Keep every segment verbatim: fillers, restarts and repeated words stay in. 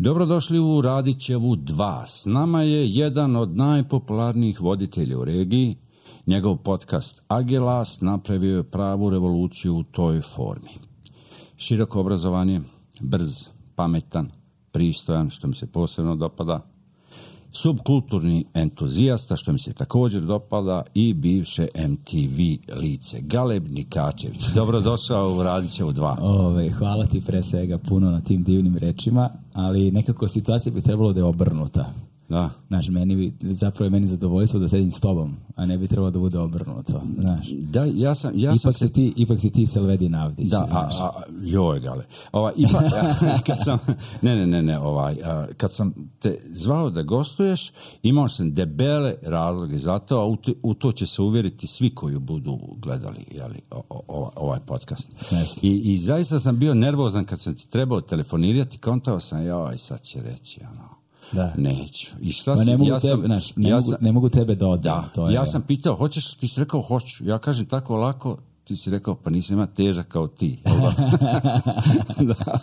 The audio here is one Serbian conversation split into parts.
Dobrodošli u Radićevu dva. S nama je jedan od najpopularnijih voditelja u regiji. Njegov podcast Agelas napravio je pravu revoluciju u toj formi. Široko obrazovanje, brz, pametan, pristojan, što mi se posebno dopada, subkulturni entuzijasta, što mi se također dopada, i bivše M T V lice. Galeb Nikačević, dobrodošao u Radićevu dva. Ove, hvala ti pre svega puno na tim divnim rečima, ali nekako situacija bi trebalo da je obrnuta. Da. Znaš, meni bi, zapravo je meni zadovoljstvo da sedim s tobom, a ne bi trebalo da bude obrnuto. Znaš. Da, ja sam, ja ipak, sam si ti, ipak si ti Selvedin Avdić. Da, a, a, joj, Gale. Ovaj, ipak, kad sam, ne, ne, ne, ne, ovaj, a, kad sam te zvao da gostuješ, imao sam debele razloge za to, a u, te, u to će se uvjeriti svi koji budu gledali, jeli, o, o, ovaj podcast. I, I zaista sam bio nervozan kad sam ti trebao telefonirati, kontao sam, joj, sad će reći, ono, da. Neću. I šta ne, si, mogu ja tebe, sam, naš, ne, ja mogu, sam, ne mogu tebe da odam. Da, to je, ja sam pitao, hoćeš, ti si rekao hoću. Ja kažem tako lako, ti si rekao, pa nisam ima težak kao ti. Da.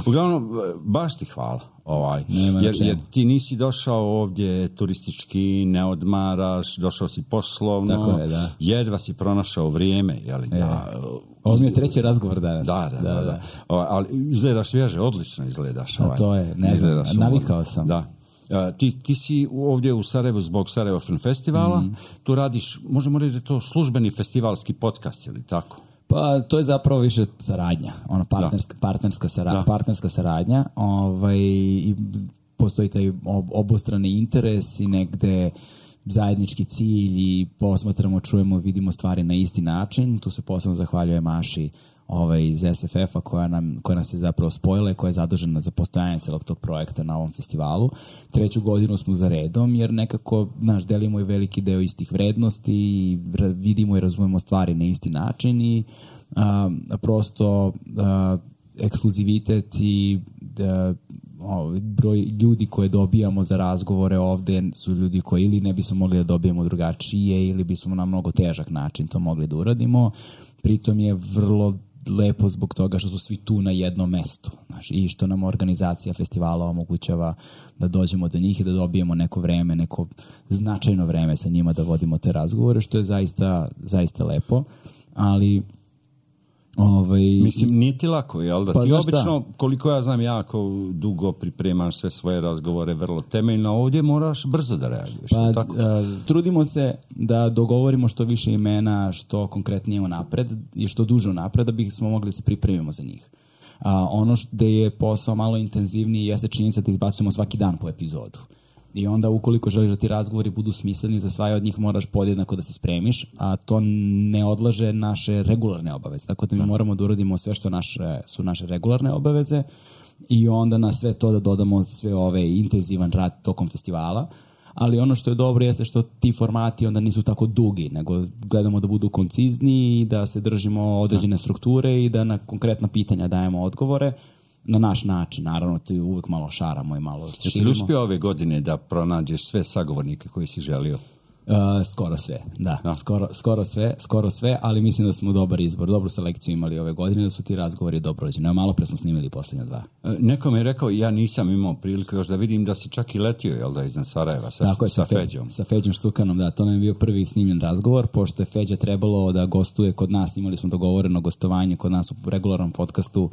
Uglavnom, baš ti hvala. Ovaj. Jer, jer ti nisi došao ovdje turistički, ne odmaraš, došao si poslovno, tako je, da. Jedva si pronašao vrijeme. Jeli, e. da, ovo mi je treći razgovor danas. Da, da, da. da, da. Ovaj, ali izgledaš svježe, odlično izgledaš. Ovaj. A to je, ne znam, navikao sam. Da. Uh, ti, ti si ovdje u Sarajevu zbog Sarajevo Film Festivala, mm. tu radiš, možemo reći da je to službeni festivalski podcast, ili tako? Pa to je zapravo više saradnja, ono partnerska, partnerska, saradnja, partnerska saradnja, ovaj, i postoji taj obostrani interes i negde zajednički cilj i posmatramo, čujemo, vidimo stvari na isti način. Tu se posebno zahvaljujem Maši ovaj, iz S F F-a koja, nam, koja nas je zapravo spojila i koja je zadužena za postojanje celog tog projekta na ovom festivalu. Treću godinu smo za redom jer nekako, znaš, delimo i veliki deo istih vrednosti i vidimo i razumemo stvari na isti način i a, prosto a, ekskluzivitet i a, o, broj ljudi koje dobijamo za razgovore ovde su ljudi koji ili ne bismo mogli da dobijemo drugačije ili bismo na mnogo težak način to mogli da uradimo. Pritom je vrlo lepo zbog toga što su svi tu na jednom mestu, znaš, i što nam organizacija festivala omogućava da dođemo do njih i da dobijemo neko vreme, neko značajno vreme sa njima da vodimo te razgovore, što je zaista, zaista lepo, ali ovaj, mislim, nije ti lako, jel da? Pa ti obično, da? Koliko ja znam, jako dugo pripremaš sve svoje razgovore vrlo temeljno, ovdje moraš brzo da reaguješ. Pa, tako? A, trudimo se da dogovorimo što više imena, što konkretnije unapred i što duže unapred, da bismo mogli da se pripremimo za njih. A, ono što je posao malo intenzivniji jeste činjenica da izbacujemo svaki dan po epizodu. I onda ukoliko želiš da ti razgovori budu smisleni, za svaje od njih moraš podjednako da se spremiš, a to ne odlaže naše regularne obaveze. Tako da mi moramo da uradimo sve što naše, su naše regularne obaveze i onda na sve to da dodamo sve ove intenzivan rad tokom festivala. Ali ono što je dobro jeste što ti formati onda nisu tako dugi, nego gledamo da budu koncizni i da se držimo određene strukture i da na konkretna pitanja dajemo odgovore. Na naš način, naravno, ti uvijek malo šaramo i malo širimo. Jesi li uspio ove godine da pronađeš sve sagovornike koji si želio? Uh, skoro sve, da. No. Skoro, skoro sve, skoro sve, ali mislim da smo dobar izbor, dobru selekciju imali ove godine, da su ti razgovori dobro rođeni. Evo, malo pre smo snimili posljednja dva. Uh, neko mi je rekao, ja nisam imao priliku još da vidim da si čak i letio, jel da, iznad Sarajeva sa, Tako je, sa, sa Feđom. Sa Feđom Štukanom, da, to nam je bio prvi snimljen razgovor, pošto je Feđa trebalo da gostuje kod nas, imali smo dogovoreno gostovanje kod nas u regularnom podcastu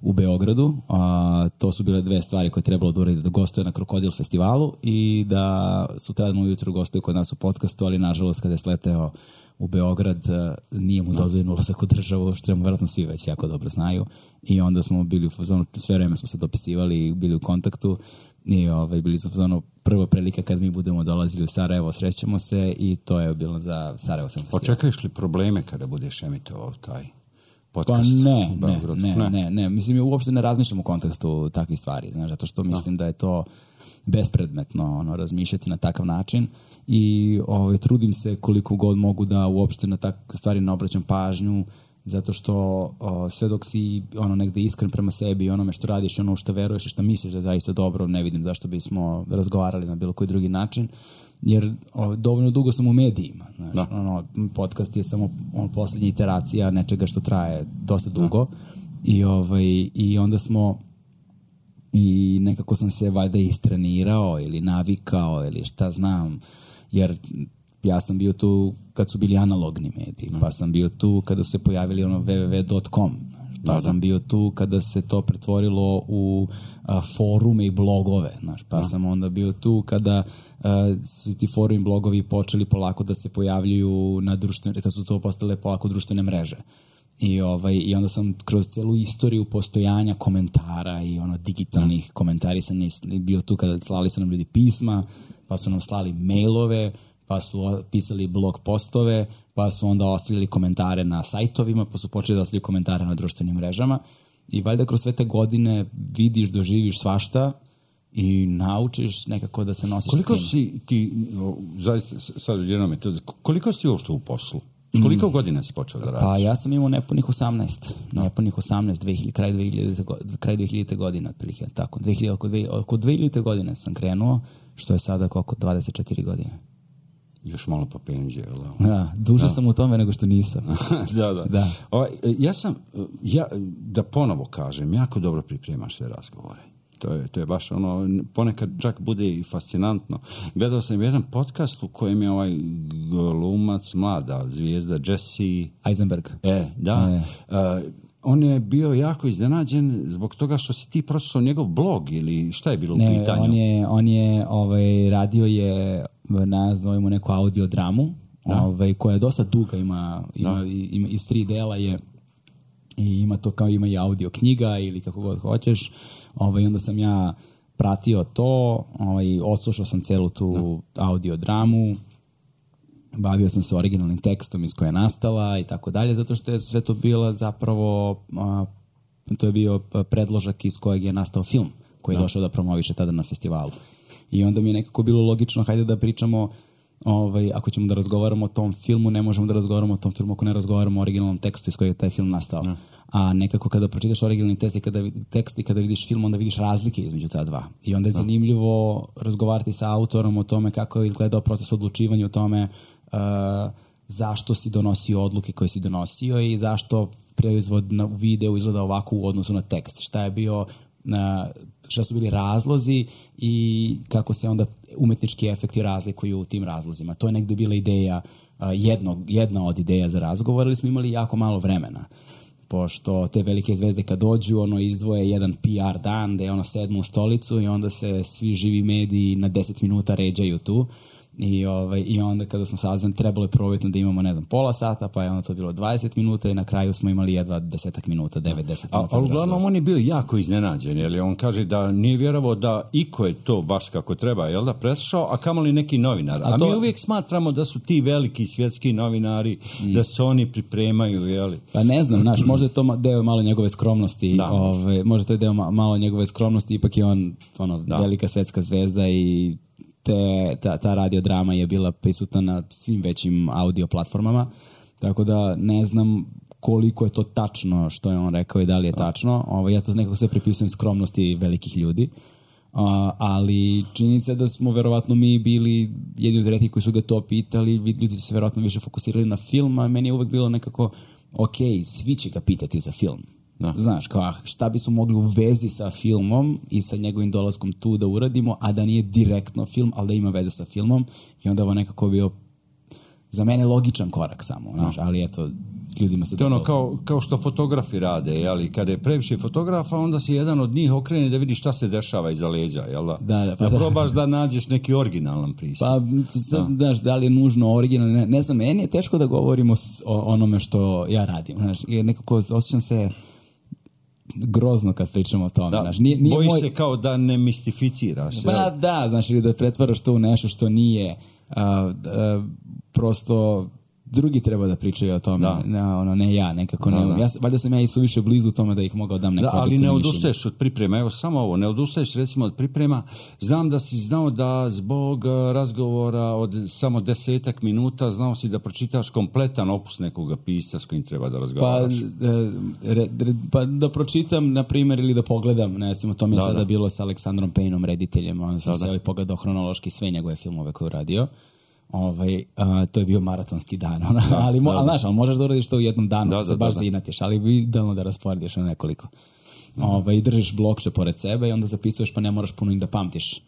u Beogradu. A, to su bile dve stvari koje je trebalo da uradi, da gostuje na Krokodil festivalu i da sutradan ujutru gostuje kod nas u podcastu, ali nažalost kada je sleteo u Beograd nije mu dozvoljen ulazak u državu, što mu vjerojatno svi već jako dobro znaju, i onda smo bili u fazonu, sve vreme smo se dopisivali i bili u kontaktu i ovaj, bili smo u fazonu, prva prilika kad mi budemo dolazili u Sarajevo, srećemo se, i to je bilo za Sarajevo Film Festival. Očekuješ li probleme kada budeš emitovao taj podcast? Pa ne, ne, ne, ne, ne, ne. Mislim, ja uopšte ne razmišljam u kontekstu takvih stvari, znaš, zato što mislim no. da je to bespredmetno, ono, razmišljati na takav način i ovaj, trudim se koliko god mogu da uopšte na takve stvari ne obraćam pažnju, zato što o, sve dok si ono negde iskren prema sebi i onome što radiš, ono što veruješ i što misliš da je zaista dobro, ne vidim zašto bismo razgovarali na bilo koji drugi način, jer o, dovoljno dugo sam u medijima. Znaš, no. ono, podcast je samo on, posljednja iteracija nečega što traje dosta dugo, no. i, ovaj, i onda smo i nekako sam se valjda istrenirao ili navikao ili šta znam, jer ja sam bio tu kad su bili analogni mediji, pa sam bio tu kada su se pojavili ono w w w dot com, pa da, sam da. bio tu kada se to pretvorilo u a, forume i blogove, znaš, pa da. sam onda bio tu kada a, su ti forumi i blogovi počeli polako da se pojavljuju na društvene, kada su to postale polako društvene mreže. I, ovaj, I onda sam kroz celu istoriju postojanja komentara i ono digitalnih komentarisanja bio tu kada slali su nam ljudi pisma, pa su nam slali mailove, pa su pisali blog postove, pa su onda ostavljali komentare na sajtovima, pa su počeli da ostavljaju komentare na društvenim mrežama. I valjda kroz sve te godine vidiš, doživiš svašta i naučiš nekako da se nosiš koliko s tim. Si ti, zaista, sad jedno me to, koliko si uopšte u poslu? Koliko godina si počeo da radiš? Pa ja sam imao nepunih osamnaest. No. Nepunih osamnaest, dve hiljade, kraj dve hiljadite kraj dve hiljadite godine, otprilike, tako. dve hiljade, oko, dve, oko dve hiljadite godine sam krenuo, što je sada oko dvadeset četiri godine. Još malo pa penđe, jel? Da, duže da. sam u tome nego što nisam. da, da. da. O, ja sam, ja, da ponovo kažem, jako dobro pripremaš sve razgovore. To je, to je baš ono, ponekad čak bude i fascinantno. Gledao sam jedan podcast u kojem je ovaj glumac, mlada zvijezda Jesse Eisenberg. E, da. E. Uh, on je bio jako iznenađen zbog toga što si ti pročitao njegov blog ili šta je bilo ne, u pitanju? On je, on je ovaj, radio je, nazovimo neku audio dramu, ovaj, koja je dosta duga, ima, ima, ima iz tri dela je i ima to kao ima i audio knjiga ili kako god hoćeš. Ovaj, onda sam ja pratio to, ovaj, odslušao sam celu tu da. audio dramu, bavio sam se originalnim tekstom iz koje je nastala i tako dalje, zato što je sve to bilo zapravo, a, to je bio predložak iz kojeg je nastao film, koji je da. došao da promoviše tada na festivalu. I onda mi je nekako bilo logično, hajde da pričamo, ovaj, ako ćemo da razgovaramo o tom filmu, ne možemo da razgovaramo o tom filmu ako ne razgovaramo o originalnom tekstu iz kojeg je taj film nastao. Da. A nekako kada pročitaš originalni tekst i kada, tekst i kada vidiš film, onda vidiš razlike između ta dva. I onda je zanimljivo razgovarati sa autorom o tome kako je izgledao proces odlučivanja, o tome uh, zašto si donosio odluke koje si donosio i zašto proizvod na videu izgleda ovako u odnosu na tekst. Šta je bio, uh, šta su bili razlozi i kako se onda umetnički efekti razlikuju u tim razlozima. To je negde bila ideja, uh, jednog, jedna od ideja za razgovor, ali smo imali jako malo vremena. Pošto te velike zvezde kad dođu, ono izdvoje jedan P R dan gde ono sedmu u stolicu i onda se svi živi mediji na deset minuta ređaju tu. I, ovaj, i onda kada smo saznali, trebalo je probitno da imamo, ne znam, pola sata, pa je onda to bilo dvadeset minuta i na kraju smo imali jedva desetak minuta, devet, deset minuta. A, a uglavnom on je bio jako iznenađen, jer on kaže da nije vjerovao da iko je to baš kako treba, jel da, preslušao, a kamoli neki novinar. A, a to... mi uvijek smatramo da su ti veliki svjetski novinari, mm. da se oni pripremaju, jel? Pa ne znam, znaš, možda je to deo malo njegove skromnosti, da, ove, možda to je deo malo njegove skromnosti, ipak je on ono, velika svetska zvezda i Te, ta, ta radiodrama je bila prisutna na svim većim audio platformama, tako da ne znam koliko je to tačno što je on rekao i da li je tačno. Ovo, ja to nekako sve pripisujem skromnosti velikih ljudi, uh, ali činjenica je da smo verovatno mi bili jedni od retkih koji su ga to pitali, ljudi su se verovatno više fokusirali na film, a meni je uvek bilo nekako ok, svi će ga pitati za film. Da. Znaš, kao šta bismo mogli u vezi sa filmom i sa njegovim dolaskom tu da uradimo, a da nije direktno film, ali da ima veze sa filmom, i onda ovo nekako bio za mene logičan korak samo, znaš, ali eto, ljudima se to ono kao, kao što fotografi rade, ali kada je previše fotografa, onda se jedan od njih okrene da vidi šta se dešava iza leđa, jel da? Da, da, pa da probaš da nađeš neki originalan pristup. Pa, sad, da. Znaš, da li je nužno originalno, ne, ne znam, meni je teško da govorimo o onome što ja radim, znaš, nekako osjećam se grozno kad pričamo o tome. Da, znaš, nije, nije bojiš moj... se kao da ne mistificiraš. Pa da, znaš, ili da pretvaraš to u nešto što nije. Uh, uh, prosto drugi treba da pričaju o tome, ne, ono, ne ja, nekako da, ne. Da. Ja, valjda sam ja i suviše blizu tome da ih mogao dam neko. Da, ali ne odustaješ od priprema. Evo samo ovo, ne odustaješ recimo od priprema. Znam da si znao da zbog razgovora od samo desetak minuta znao si da pročitaš kompletan opus nekoga pisca s kojim treba da razgovaraš. Pa, re, re, pa da pročitam, na primjer, ili da pogledam. Ne, recimo, to mi je da, sada da. bilo sa Aleksandrom Payneom, rediteljem. On sam da, se da. pogledao hronološki sve njegove filmove koje je uradio. Ovaj, a, to je bio maratonski dan, ona, da, ali, mo, da, ali, znaš, ali možeš da uradiš to u jednom danu, da, da, se baš da, da. zainatiš, ali idealno da rasporediš na nekoliko. Ovaj, držiš blokče pored sebe i onda zapisuješ, pa ne moraš puno i da pamtiš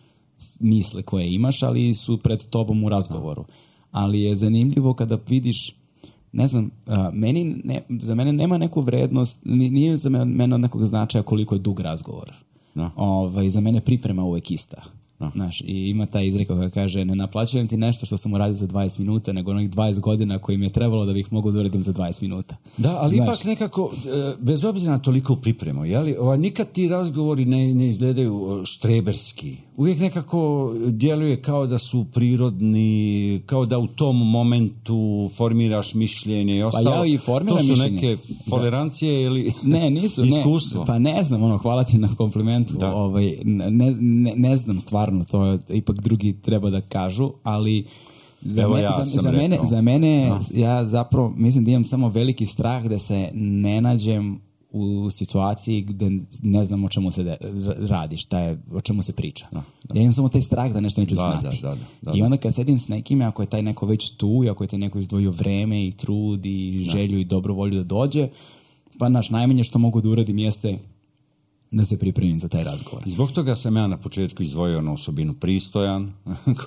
misle koje imaš, ali su pred tobom u razgovoru. Ali je zanimljivo kada vidiš, ne znam, a, meni ne, za mene nema neku vrednost, nije za mene od nekog značaja koliko je dug razgovor. No. Ovaj, za mene priprema uvek ista. No. Znaš, i ima ta izreka koja kaže, ne naplaćujem ti nešto što sam uradio za dvadeset minuta, nego onih dvadeset godina koji mi je trebalo da bih mogu da uradim za dvadeset minuta. Da, ali Znaš, ipak nekako, bez obzira na toliko pripremu, jeli, ova, nikad ti razgovori ne, ne izgledaju štreberski. Uvijek nekako djeluje kao da su prirodni, kao da u tom momentu formiraš mišljenje i ostalo. Pa ja i formiram mišljenje. To su mišljenje. neke tolerancije ili ne, nisu, iskustvo? Ne, pa ne znam, ono, hvala ti na komplimentu. Ovaj, ne, ne, ne znam stvarno, to ipak drugi treba da kažu, ali za, Evo me, ja za, za mene, za mene no. ja zapravo mislim da imam samo veliki strah da se ne nađem u situaciji gde ne znam o čemu se de, radi, šta je, o čemu se priča. Da, da. Ja imam samo taj strah da nešto neću da, znati. Da, da, da, da. I onda kad sedim s nekim, ako je taj neko već tu, i ako je taj neko izdvojio vreme i trud i želju da. i dobru volju da dođe, pa naš najmanje što mogu da uradim jeste da se pripremim za taj razgovor. Zbog toga sam ja na početku izdvojio na osobinu pristojan,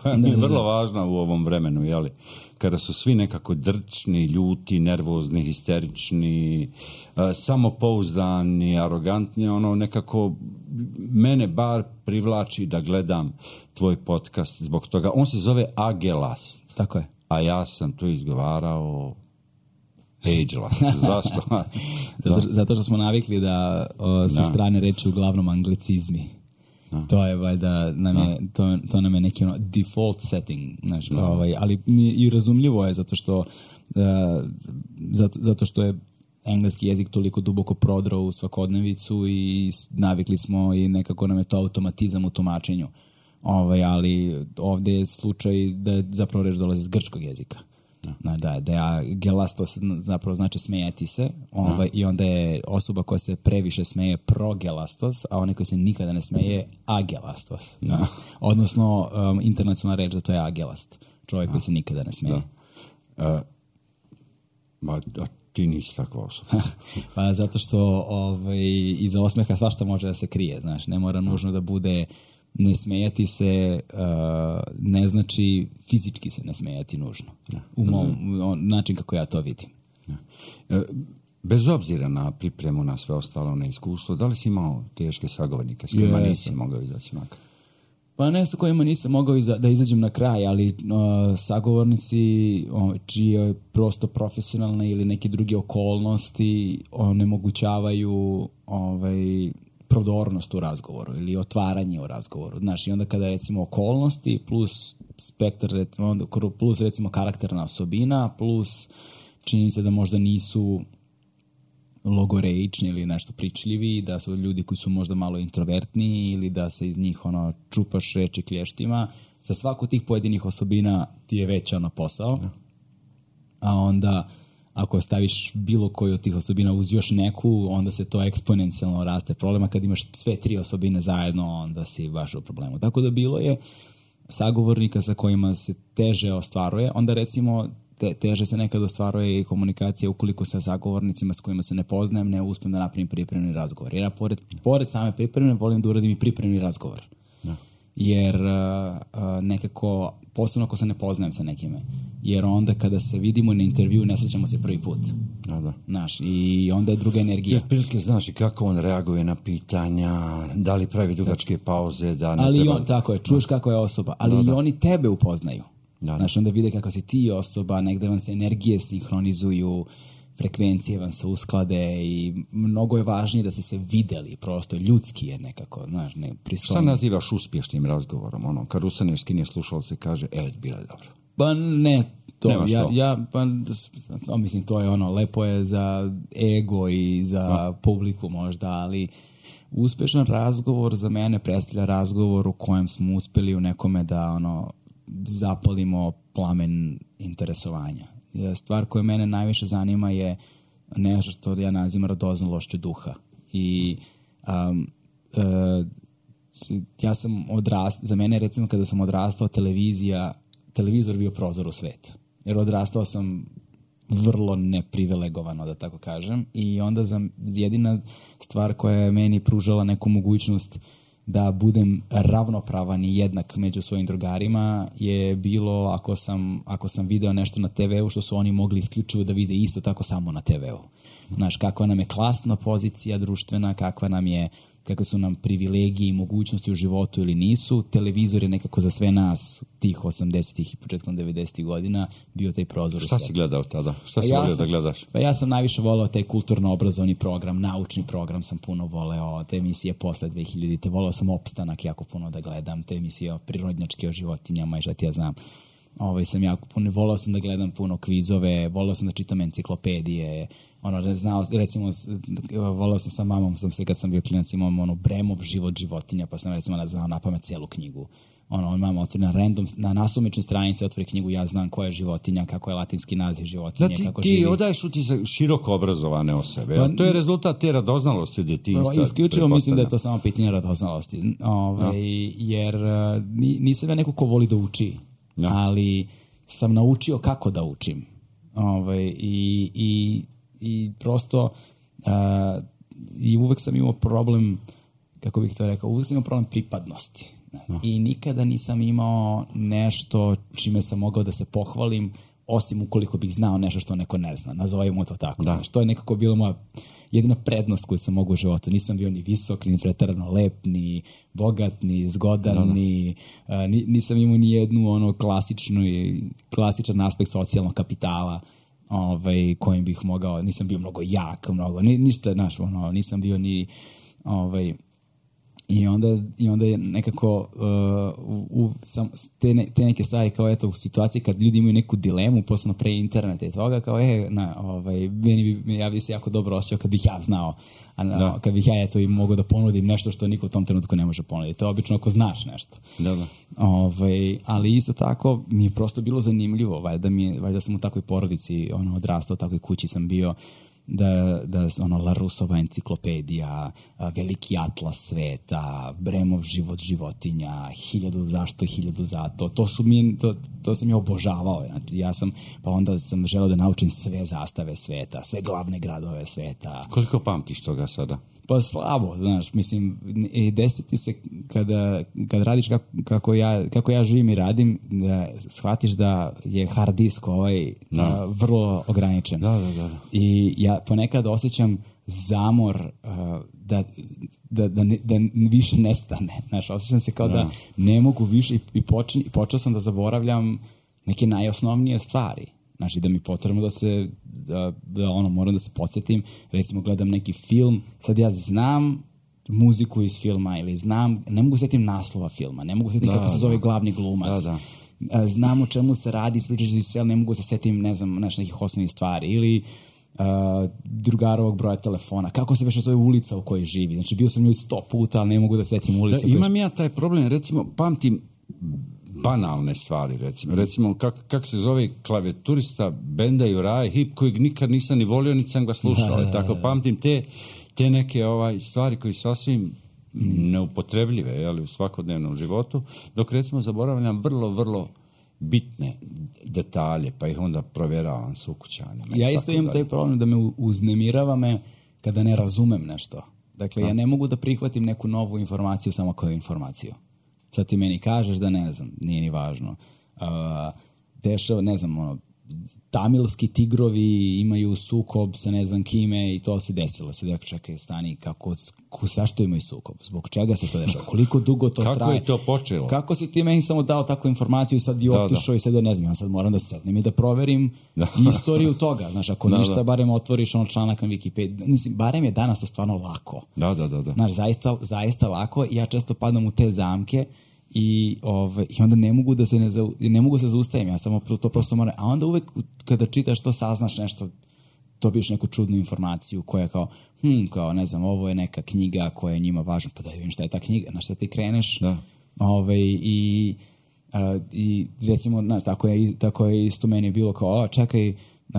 koja mi je vrlo da, da. važna u ovom vremenu, jeli? Kada su svi nekako drčni, ljuti, nervozni, histerični, uh, samopouzdani, arogantni, ono nekako mene bar privlači da gledam tvoj podcast zbog toga. On se zove Agelast. Tako je. A ja sam to izgovarao Agelast. Zašto? zato, zato što smo navikli da o, sa strane reči uglavnom anglicizmi. No. To je valjda nam je, no. to, to nam je neki ono default setting, znaš, no. ovaj, ali i razumljivo je zato što uh, zato, zato što je engleski jezik toliko duboko prodrao u svakodnevicu i navikli smo i nekako nam je to automatizam u tumačenju. Ovaj, ali ovdje je slučaj da zapravo reč dolazi iz grčkog jezika. No. Da, da je gelastos zapravo znači smejati se, ovaj, no. i onda je osoba koja se previše smeje progelastos, a onaj koji se nikada ne smeje agelastos. No. No. Odnosno um, internacionalna reč za to je agelast, čovjek no. koji se nikada ne smeje. No. Uh, ma, a ti nisi takva osoba. Pa zato što ovaj, iza osmeha svašta može da se krije, znaš, ne mora nužno da bude ne smejati se, uh, ne znači fizički se ne smejati nužno. Ja. U mom, način kako ja to vidim. Ja. E, bez obzira na pripremu, na sve ostalo, na iskustvo, da li si imao teške sagovornike s kojima yes. nisi mogao izaći na kraj? Pa ne sa kojima nisam mogao iza, da izađem na kraj, ali uh, sagovornici o, čije prosto profesionalne ili neke druge okolnosti onemogućavaju ovaj, prodornost u razgovoru ili otvaranje u razgovoru. Znaš, i onda kada recimo okolnosti plus spektar, recimo, plus recimo karakterna osobina, plus činjenica da možda nisu logoreični ili nešto pričljivi, da su ljudi koji su možda malo introvertniji ili da se iz njih ono čupaš reči klještima. Sa svaku tih pojedinih osobina ti je već ono posao. A onda ako staviš bilo koju od tih osobina uz još neku, onda se to eksponencijalno raste problema. Kad imaš sve tri osobine zajedno, onda si baš u problemu. Tako da bilo je sagovornika sa kojima se teže ostvaruje. Onda recimo te, teže se nekad ostvaruje i komunikacija ukoliko sa sagovornicima s kojima se ne poznajem, ne uspijem da napravim pripremni razgovor. Jer ja pored, pored same pripremne volim da uradim i pripremni razgovor. Ja. Jer uh, uh, nekako, posebno ako se ne poznajem sa nekime, jer onda kada se vidimo na intervju ne srećemo se prvi put. Da, da. Znaš, i onda je druga energija. I otprilike znaš i kako on reaguje na pitanja, da li pravi dugačke pauze, da ne ali treba... on, tako je, čuješ kako je osoba, ali da, da. i oni tebe upoznaju. Da, da. Znaš, onda vide kako si ti osoba, negde vam se energije sinhronizuju, frekvencije vam se usklade i mnogo je važnije da ste se videli, prosto ljudski je nekako, znaš, ne pristojno. Šta nazivaš uspješnim razgovorom? Ono, kad ustaneš, skinje slušalce, kaže, e, bilo je dobro. Pa ne, to, ja, to. ja, pa, to, mislim, to je ono, lepo je za ego i za no. publiku možda, ali uspešan razgovor za mene predstavlja razgovor u kojem smo uspeli u nekome da, ono, zapalimo plamen interesovanja. Stvar koja mene najviše zanima je nešto što ja nazivam radoznalošću duha. I um, uh, ja sam odrastao, za mene recimo kada sam odrastao televizija, televizor bio prozor u svet. Jer odrastao sam vrlo neprivilegovano, da tako kažem, i onda za jedina stvar koja je meni pružala neku mogućnost da budem ravnopravan i jednak među svojim drugarima je bilo ako sam, ako sam video nešto na te veu što su oni mogli isključivo da vide isto tako samo na te veu. Znaš, kakva nam je klasna pozicija društvena, kakva nam je, kakve su nam privilegije i mogućnosti u životu ili nisu. Televizor je nekako za sve nas tih osamdesetih i početkom devedesetih godina bio taj prozor. Šta si gledao tada? Šta si pa volio ja da gledaš? Pa ja sam najviše voleo taj kulturno-obrazovni program, naučni program sam puno voleo, te emisije posle dve hiljadite. Voleo sam Opstanak jako puno da gledam, te emisije o prirodnjačke, o životinjama i šta ti ja znam. Ovaj sam jako puno, voleo sam da gledam puno kvizove, voleo sam da čitam enciklopedije, ono, znao, recimo, voleo sam sa mamom, sam se kad sam bio klinac, imam ono Bremov život životinja, pa sam recimo znao napamet celu knjigu. Ono, mama otvori na random, na nasumičnoj stranici otvori knjigu, ja znam koja je životinja, kako je latinski naziv životinje, da, ti, kako ti živi. Ti odaješ utisak široko obrazovane osobe, pa, to je rezultat te radoznalosti djetinjstva. Pa, isključivo mislim da je to samo pitanje radoznalosti, Ove, no. jer nisam ja neko ko voli da uči, no. ali sam naučio kako da učim. Ove, i, i, i prosto a, i uvek sam imao problem, kako bih to rekao, uvek sam imao problem pripadnosti. No. I nikada nisam imao nešto čime sam mogao da se pohvalim, osim ukoliko bih znao nešto što neko ne zna. Nazovimo to tako. Da. To je nekako bila moja jedina prednost koju sam mogao u životu. Nisam bio ni visok, ni preterano lep, ni bogat, ni zgodan, no, no. Ni, uh, nisam imao ni jednu ono klasičnu, klasičan aspekt socijalnog kapitala ovaj, kojim bih mogao, nisam bio mnogo jak, mnogo, ni, ništa, znaš, ono, nisam bio ni ovaj, I onda, i onda je nekako uh, u, sam, te, ne, te neke stvari kao eto u situaciji kad ljudi imaju neku dilemu, posebno pre interneta i toga, kao e, na, ovaj, meni bi, ja bi se jako dobro osjećao kad bih ja znao, a na, kad bih ja eto i mogao da ponudim nešto što niko u tom trenutku ne može ponuditi. To je obično ako znaš nešto. Da, da. Ovaj, ali isto tako mi je prosto bilo zanimljivo, valjda, mi je, valjda sam u takvoj porodici ono, odrastao, u takvoj kući sam bio, da, da ono, Larusova enciklopedija, veliki atlas sveta, Bremov život životinja, hiljadu zašto, hiljadu zato, to su mi, to, to sam ja obožavao, znači ja sam, pa onda sam želeo da naučim sve zastave sveta, sve glavne gradove sveta. Koliko pamtiš toga sada? Pa slabo, znaš, mislim, desiti se kada, kada radiš kako, kako, ja, kako ja živim i radim, da shvatiš da je hard disk ovaj no. a, vrlo ograničen. Da, da, da. I ja ponekad osjećam zamor a, da, da, da, ne, da više nestane. Znaš, osjećam se kao no. da ne mogu više i, i, počin, i počeo sam da zaboravljam neke najosnovnije stvari. Znači da mi potrebno da se, da, da ono, moram da se podsjetim, recimo gledam neki film, sad ja znam muziku iz filma ili znam, ne mogu sjetim naslova filma, ne mogu sjetim da, kako se zove da. glavni glumac, da, da. znam o čemu se radi, ispričaš iz sve, ali ne mogu se sjetim, ne znam, znaš, nekih osnovnih stvari, ili uh, drugarovog broja telefona, kako se već zove ulica u kojoj živi, znači bio sam njoj sto puta, ali ne mogu da sjetim ulicu. Da, imam ja taj problem, recimo, pamtim banalne stvari, recimo. Recimo, kako kak se zove klavijaturista benda Juraje Hip, kojeg nikad nisam ni volio, niti sam ga slušao. Da, da, da. Tako pamtim te, te neke ovaj, stvari koji su sasvim mm. neupotrebljive jeli, u svakodnevnom životu, dok recimo zaboravljam vrlo, vrlo bitne detalje, pa ih onda provjeravam s ukućanima. Ja isto imam taj problem da me uznemirava me kada ne razumem nešto. Dakle, A? ja ne mogu da prihvatim neku novu informaciju samo koju informaciju. Sad ti meni kažeš da ne znam, nije ni važno. Uh, dešava, ne znam, ono, tamilski tigrovi imaju sukob sa ne znam kime i to se desilo. Sad ja čekaj, stani, kako, zašto imaju sukob? Zbog čega se to dešava? Koliko dugo to kako traje? Kako je to počelo? Kako si ti meni samo dao takvu informaciju i sad i otišao i sad da ne znam, ja sad moram da sednem i da proverim da. istoriju toga. Znaš, ako da, ništa, da. barem otvoriš ono članak na Wikipediji. Mislim, barem je danas to stvarno lako. Da, da, da. da. Znaš, zaista, zaista lako i ja često padam u te zamke i, ove, i onda ne mogu da se ne, ne mogu se zaustavim, ja samo to prosto moram, a onda uvek kada čitaš to saznaš nešto, dobiješ neku čudnu informaciju koja je kao, hm, kao ne znam, ovo je neka knjiga koja je njima važna, pa da vidim šta je ta knjiga, na šta ti kreneš da. Ove, i, a, i recimo, znaš, tako je, tako je isto meni bilo kao, o, čekaj, Uh,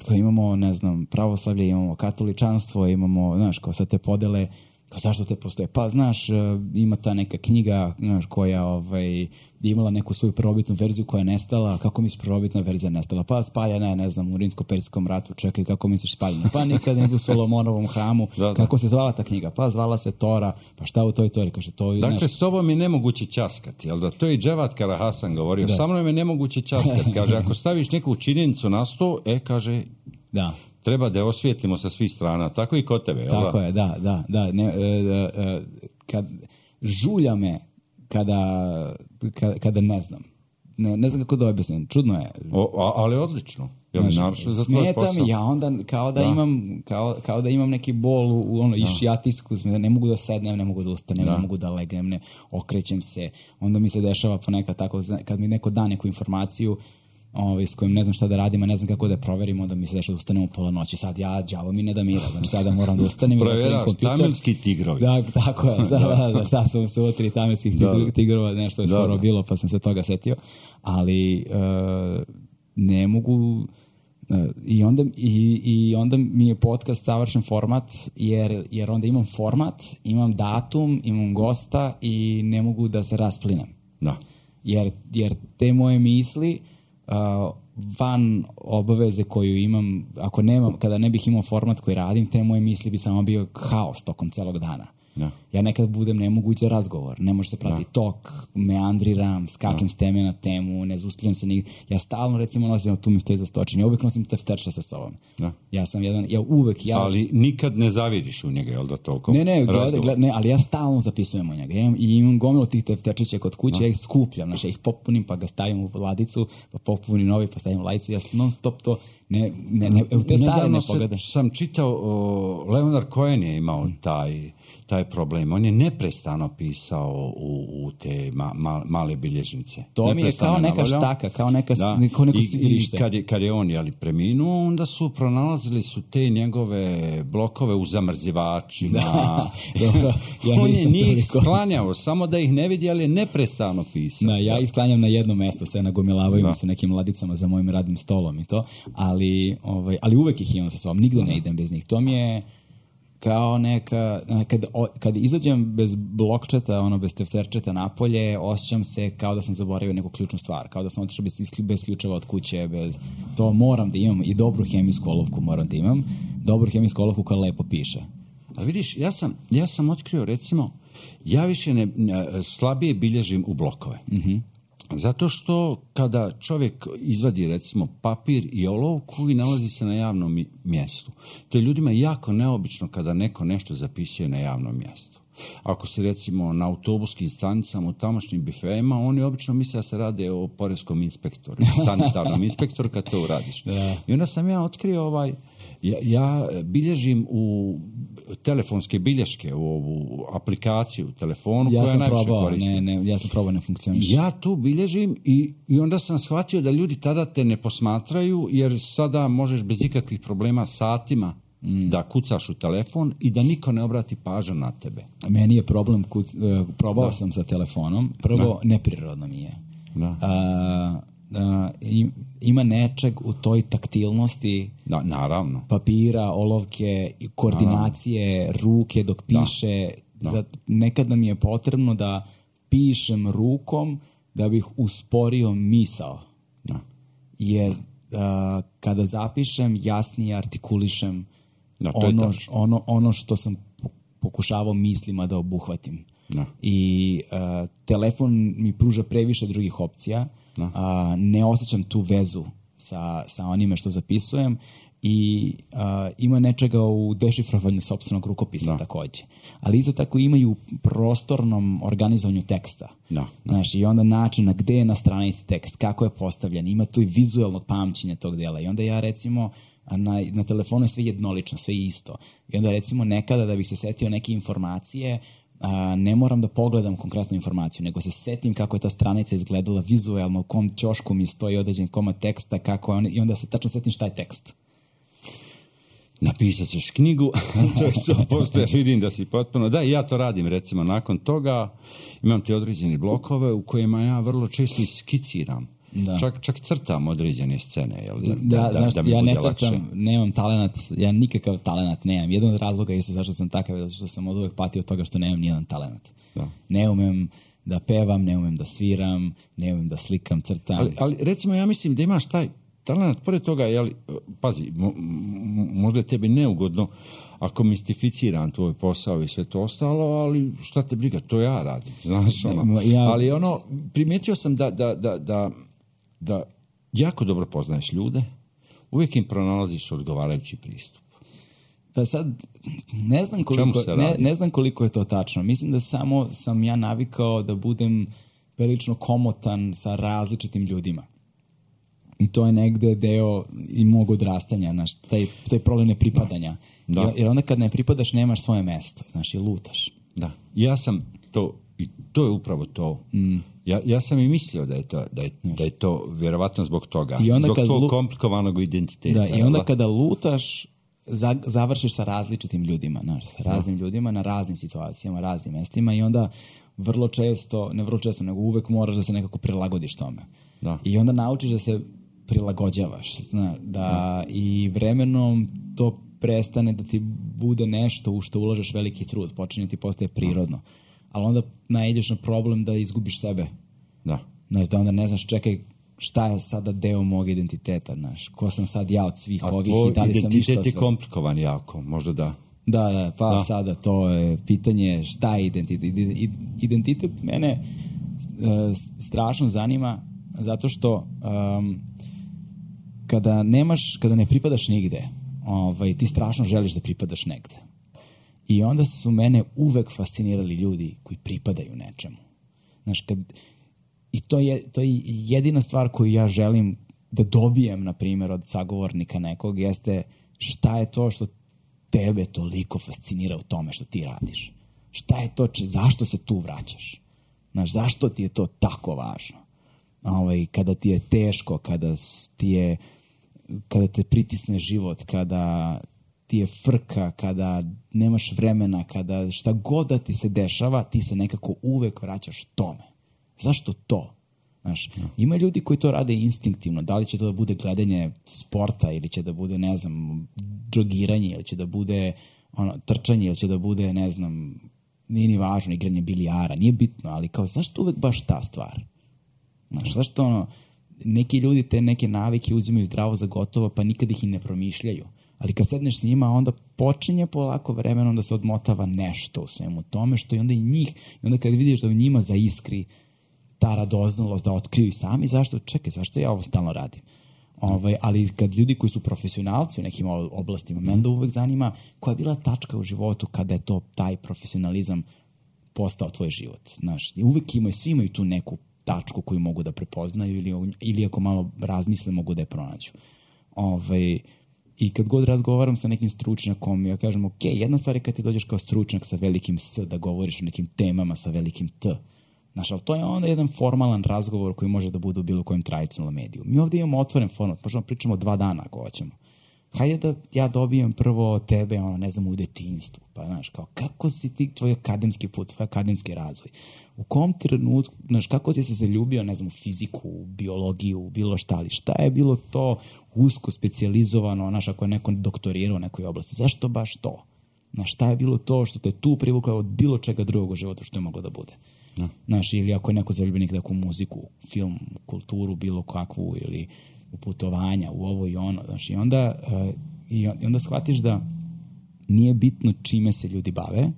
kao imamo, ne znam, pravoslavlje, imamo katoličanstvo, imamo, znaš, kao sad te podele Kao, zašto te postoje? Pa, znaš, ima ta neka knjiga, znaš, koja ovaj, je imala neku svoju prvobitnu verziju koja je nestala. Kako misliš prvobitna verzija nestala? Pa, spaljena je, ne znam, u Rimsko-Persijskom ratu. Čekaj, kako misliš spaljena? Pa, nikad ne u Solomonovom hramu. Da, da. Kako se zvala ta knjiga? Pa, zvala se Tora. Pa, šta u toj Tori? Kaže, to je... Dakle, s tobom je nemoguće ćaskati, jel da? To je i Dževat Karahasan govorio. Da. Sa mnom je nemoguće ćaskati. Kaže, ako staviš neku činjenicu na sto, e, kaže... Da. Treba da je osvijetlimo sa svih strana. Tako i kod tebe, jel da? Tako je, da, da, da. Ne, e, e, kad žulja me kada, kada, kada ne znam. Ne, ne znam kako da objasnim. Čudno je. O, ali odlično. Znači, smeta mi, ja onda kao da, da. imam kao, kao da imam neki bol u, u ono, išijatijsku, da ne mogu da sednem, ne mogu da ustanem, da. ne mogu da legnem, ne okrećem se. Onda mi se dešava ponekad tako, kad mi neko da neku informaciju, Ovaj, s kojim ne znam šta da radim, a ne znam kako da je proverim, onda mi se dešava da ustanem u pola noći. Sad ja, đavo mi ne da mira, znači sada moram da ustanem. Provjeraš tamilski tigrovi. Da, tako je, da, da, da, šta sam se utri tamilskih tigrova, nešto je skoro da, da. bilo, pa sam se toga setio. Ali uh, ne mogu... Uh, i, onda, i, i onda mi je podcast savršen format, jer, jer onda imam format, imam datum, imam gosta i ne mogu da se rasplinem. Da. Jer, jer te moje misli... Uh, van obaveze koju imam, ako nemam, kada ne bih imao format koji radim, te moje misli bi samo bio haos tokom celog dana. Ja, ja nekad budem nemoguć razgovor, ne može se prati ja. tok, meandriram, skačem ja. s teme na temu, ne zustavljam se nigde. Ja stalno, recimo, nosim, tu mi stoji za stočenje, ja uvek nosim tefterče sa sobom. Ja. ja sam jedan, ja uvek... Ja... Ali nikad ne zavidiš u njega, jel da toliko? Ne, ne, gleda, gleda, ne, ali ja stalno zapisujem u njega. Ja imam, i imam gomilu tih tefterčića kod kuće, ja. ja ih skupljam, znači, ja ih popunim, pa ga stavim u ladicu, pa popunim novi, pa stavim u ladicu, ja non stop to... Ne, ne, ne, u te stare ne pogledaš. Sam čitao, o, Leonard Cohen je imao taj, taj problem. On je neprestano pisao u, u te ma, ma, male bilježnice. To mi je kao neka navoljao. štaka, kao, neka, da. kao neko I, sigrište. I kad je, kad je on jeli, preminuo, onda su pronalazili su te njegove blokove u zamrzivačima. Da, dobro, ja on je njih toliko. sklanjao, samo da ih ne vidi, ali je neprestano pisao. Da, ja ih sklanjam na jedno mesto, sve nagomilavaju mi se nekim ladicama za mojim radnim stolom i to, ali, ovaj, ali uvek ih imam sa sobom, nigde ne idem bez njih. To mi je kao neka, kad, kad izađem bez blokčeta, ono, bez tefterčeta napolje, osjećam se kao da sam zaboravio neku ključnu stvar, kao da sam otišao bez, bez ključeva od kuće, bez, to moram da imam i dobru hemijsku olovku moram da imam, dobru hemijsku olovku koja lepo piše. Ali vidiš, ja sam, ja sam otkrio, recimo, ja više ne, slabije bilježim u blokove. Mhm. Zato što kada čovjek izvadi recimo papir i olovku i nalazi se na javnom mjestu, to je ljudima jako neobično kada neko nešto zapisuje na javnom mjestu. Ako se recimo na autobuskim stanicama u tamošnjim bifeima, oni obično misle da se rade o poreskom inspektoru, sanitarnom inspektoru kad to uradiš. Da. I onda sam ja otkrio ovaj, ja, ja bilježim u telefonske bilješke, u ovu aplikaciju u telefonu ja koja sam najviše probao, koristim. Ne, ne, ja sam probao, ne funkcioniš. Ja tu bilježim i, i onda sam shvatio da ljudi tada te ne posmatraju, jer sada možeš bez ikakvih problema satima mm. da kucaš u telefon i da niko ne obrati pažnju na tebe. Meni je problem, kuc, uh, probao da. sam sa telefonom, prvo da. neprirodno mi je. Da. A, Uh, ima nečeg u toj taktilnosti, da, naravno, papira, olovke, koordinacije, naravno. ruke dok piše. Da. Da. Nekad nam je potrebno da pišem rukom da bih usporio misao. Da. Jer uh, kada zapišem, jasnije artikulišem da, ono, ono, ono što sam pokušavao mislima da obuhvatim. Da. I uh, telefon mi pruža previše drugih opcija. No. A, ne osjećam tu vezu sa, sa onime što zapisujem i a, ima nečega u dešifrovanju sopstvenog rukopisa no. takođe. Ali isto tako ima i u prostornom organizovanju teksta. No. Znaš, i onda način na gde je na stranici tekst, kako je postavljen, ima tu i vizualnog pamćenja tog dela. I onda ja recimo na, na telefonu je sve jednolično, sve isto. I onda recimo nekada da bih se setio neke informacije, a, ne moram da pogledam konkretnu informaciju, nego se setim kako je ta stranica izgledala vizualno, u kom ćošku mi stoji određen komad teksta, kako je on, i onda se tačno setim šta je tekst. Napisat ćeš knjigu, to je sto posto, ja vidim da si potpuno, da, i ja to radim, recimo, nakon toga imam te određene blokove u kojima ja vrlo često iskiciram Da. Čak, čak crtam određene scene. Jel? Da, da, da, znaš, da mi ja bude ne crtam, lakše. nemam talenat, ja nikakav talenat nemam. Jedan od razloga isto zašto sam takav, zato što sam od uvek patio od toga što nemam nijedan talenat. Da. Ne umem da pevam, ne umem da sviram, ne umem da slikam, crtam. Ali, ali recimo, ja mislim da imaš taj talenat, pored toga, jel, pazi, mo, možda je tebi neugodno ako mistificiram tvoj posao i sve to ostalo, ali šta te briga, to ja radim, znaš, ono. Ja, ali ono, primijetio sam da, da, da, da, da jako dobro poznaješ ljude, uvijek im pronalaziš odgovarajući pristup. Pa sad, ne znam koliko, ne, ne znam koliko je to tačno. Mislim da samo sam ja navikao da budem prilično komotan sa različitim ljudima. I to je negde deo i mog odrastanja, znaš, taj, taj problem nepripadanja. Da. Da. Jer onda kad ne pripadaš, nemaš svoje mesto, znaš, i lutaš. Da, ja sam to, i to je upravo to. Mm. Ja, ja sam i mislio da je to, da je, da je to vjerovatno zbog toga. I onda zbog tvojeg lu... komplikovanog identiteta. Da, i onda kada lutaš, za, završiš sa različitim ljudima, znaš, sa raznim da. ljudima, na raznim situacijama, raznim mestima i onda vrlo često, ne vrlo često, nego uvek moraš da se nekako prilagodiš tome. Da. I onda naučiš da se prilagođavaš, zna, da, da i vremenom to prestane da ti bude nešto u što ulažeš veliki trud, počinje ti postaje prirodno. Ali onda naiđeš na problem da izgubiš sebe. Da. Znaš, da onda ne znaš, čekaj, šta je sada deo mog identiteta, znaš, ko sam sad ja od svih a ovih i da li sam ništa od identitet je komplikovan jako, možda da. Da, da, pa da. Sada to je pitanje šta je identitet. Identitet mene uh, strašno zanima zato što um, kada nemaš, kada ne pripadaš nigde, ovaj, ti strašno želiš da pripadaš negde. I onda su mene uvek fascinirali ljudi koji pripadaju nečemu. Znaš, kad, i to je, to je jedina stvar koju ja želim da dobijem, na primjer, od sagovornika nekog, jeste šta je to što tebe toliko fascinira u tome što ti radiš. Šta je to, če, zašto se tu vraćaš? Znaš, zašto ti je to tako važno? Ovaj, kada ti je teško, kada ti je kada te pritisne život, kada ti je frka, kada nemaš vremena, kada šta god da ti se dešava, ti se nekako uvek vraćaš tome. Zašto to? Znaš, ima ljudi koji to rade instinktivno. Da li će to da bude gledanje sporta ili će da bude, ne znam, džogiranje ili će da bude ono, trčanje ili će da bude, ne znam, nije ni važno, igranje bilijara, nije bitno, ali kao, zašto uvek baš ta stvar? Znaš, zašto ono, neki ljudi te neke navike uzimaju zdravo za gotovo, pa nikad ih i ne promišljaju. Ali kad sedneš s njima, onda počinje polako vremenom da se odmotava nešto u svemu tome, što i onda i njih, i onda kad vidiš da u njima zaiskri ta radoznalost da otkriju i sami, zašto, čekaj, zašto ja ovo stalno radim? Ovaj, ali kad ljudi koji su profesionalci u nekim oblastima, mm. mene da uvek zanima koja je bila tačka u životu kada je to taj profesionalizam postao tvoj život. Znaš, uvek imaju, svi imaju tu neku tačku koju mogu da prepoznaju ili, ili ako malo razmisle mogu da je pronađu. Ovaj, I kad god razgovaram sa nekim stručnjakom, ja kažem, ok, jedna stvar je kad ti dođeš kao stručnjak sa velikim S, da govoriš o nekim temama sa velikim T. Znaš, ali to je onda jedan formalan razgovor koji može da bude u bilo kojem tradicionalnom mediju. Mi ovdje imamo otvoren format, možemo pričamo dva dana ako hoćemo. Hajde da ja dobijem prvo tebe, ono, ne znam, u detinjstvu. Pa, znaš, kao, kako si ti, tvoj akademski put, tvoj akademski razvoj? U kom trenutku, znaš, kako si se zaljubio, ne znam, u fiziku, u biologiju, u bilo šta, ali šta je bilo to usko specijalizovano, znaš, ako je neko doktorirao u nekoj oblasti? Zašto baš to? Znaš, šta je bilo to što te tu privuklo od bilo čega drugog u životu što je moglo da bude? No. Znaš, ili ako je neko zaljubljenik neku muziku, film, kulturu, bilo kakvu, ili u putovanja, u ovo i ono, znaš, i onda, uh, i onda shvatiš da nije bitno čime se ljudi bave,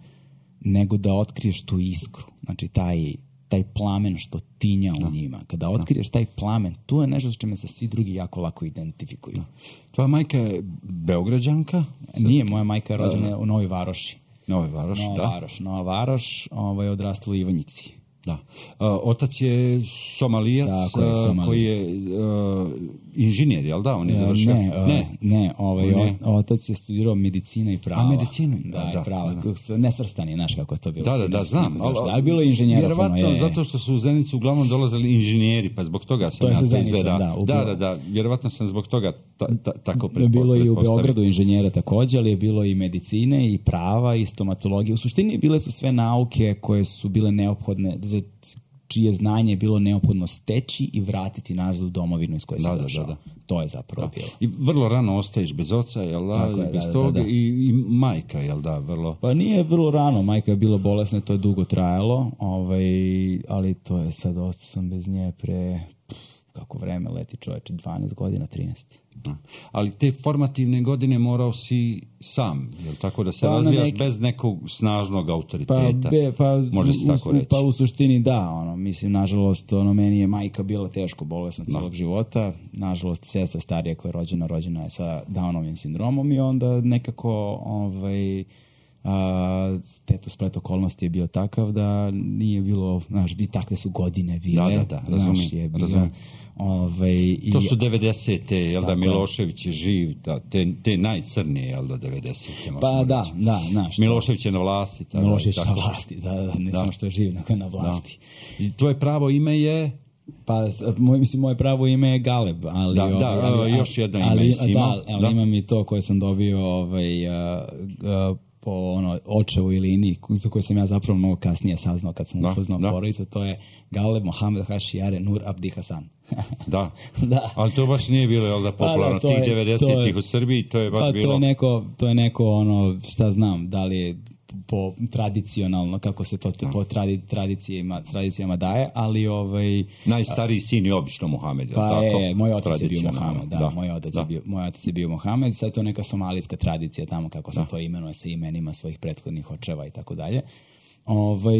nego da otkriješ tu iskru, znači taj, taj plamen što tinja u njima. Kada otkriješ taj plamen, tu je nešto s čime se svi drugi jako lako identifikuju. Tvoja majka je Beograđanka? Nije, moja majka je rođena u Novoj Varoši. Novoj Varoš, Nova da. Varoš, Nova Varoš, ovaj, odrastala u Ivanjici. Da. Uh, otac je Somalijac, Tako je, Somalija. koji je uh, inženjer, jel da? On je završio? Ne, uh, ne, ne ovaj, o, otac je studirao medicina i prava. A medicinu? Da, da, da prava. Da. Nesvrstani, znaš kako je to bilo. Da, da, da, znam. Da, ali bilo je inženjera. Vjerovatno, je, zato što su u Zenicu uglavnom dolazili inženjeri, pa zbog toga sam ja to izgleda. Da, da, da, da, vjerovatno sam zbog toga ta, ta, tako pretpostavio. Bilo je i u Beogradu inženjera također, ali je bilo i medicine i prava i stomatologije. U suštini bile su sve nauke koje su bile neophodne za čije znanje je bilo neophodno steći i vratiti nazad u domovinu iz koje se da, došao. Da, da. To je zapravo da. bilo. I vrlo rano ostaješ bez oca, jel da? Je, I bez da, toga da, da. I, i majka, jel da? Vrlo... Pa nije vrlo rano, majka je bila bolesna, to je dugo trajalo, ovaj, ali to je sad, ostao sam bez nje pre, kako vreme leti čoveče, dvanaest godina, trinaest. Ali te formativne godine morao si sam, jel tako, da se pa razvijaš neki... bez nekog snažnog autoriteta, pa, be, pa, može se tako reći. Pa u suštini da, ono, mislim, nažalost, ono, meni je majka bila teško bolesna celog no. života, nažalost, sestra starija koja je rođena, rođena je sa Downovim sindromom i onda nekako, ovaj, a, teto splet okolnosti je bio takav da nije bilo, znaš, bi takve su godine bile, da, da, da, znaš, je bila... Ove, i, to su devedesete, jel da, Milošević je živ, da, te, te najcrnije, jel da, devedesete. Pa da, reći. da, znaš. Milošević je na vlasti. Tada, Milošević je na vlasti, da, da, ne da. samo što je živ, nego je na vlasti. Da. I tvoje pravo ime je? Pa, moj, mislim, moje pravo ime je Galeb, ali... Da, da, ali, ali, još jedno ime si imao. Da, ali da. imam i to koje sam dobio, ovaj... Uh, uh, po ono, očevoj liniji za koju sam ja zapravo mnogo kasnije saznao kad sam upoznao porodicu, to je Galeb Mohamed Hašijare Nur Abdi Hasan. da. da, ali to baš nije bilo, jel da, popularno, pa, da, tih devedesetih u Srbiji, to je baš pa, bilo... To je neko, to je neko, ono, šta znam, da li je po tradicionalno, kako se to da. po tradi, tradicijama, tradicijama daje, ali ovaj... Najstariji sin je obično Mohamed, pa tako? je, moj otac je bio Mohamed, da, da. Moj, otac da. je bio, moj otac je bio Mohamed, sad to je neka somalijska tradicija tamo, kako se da. to imenuje sa imenima svojih prethodnih očeva i tako dalje. Ovaj,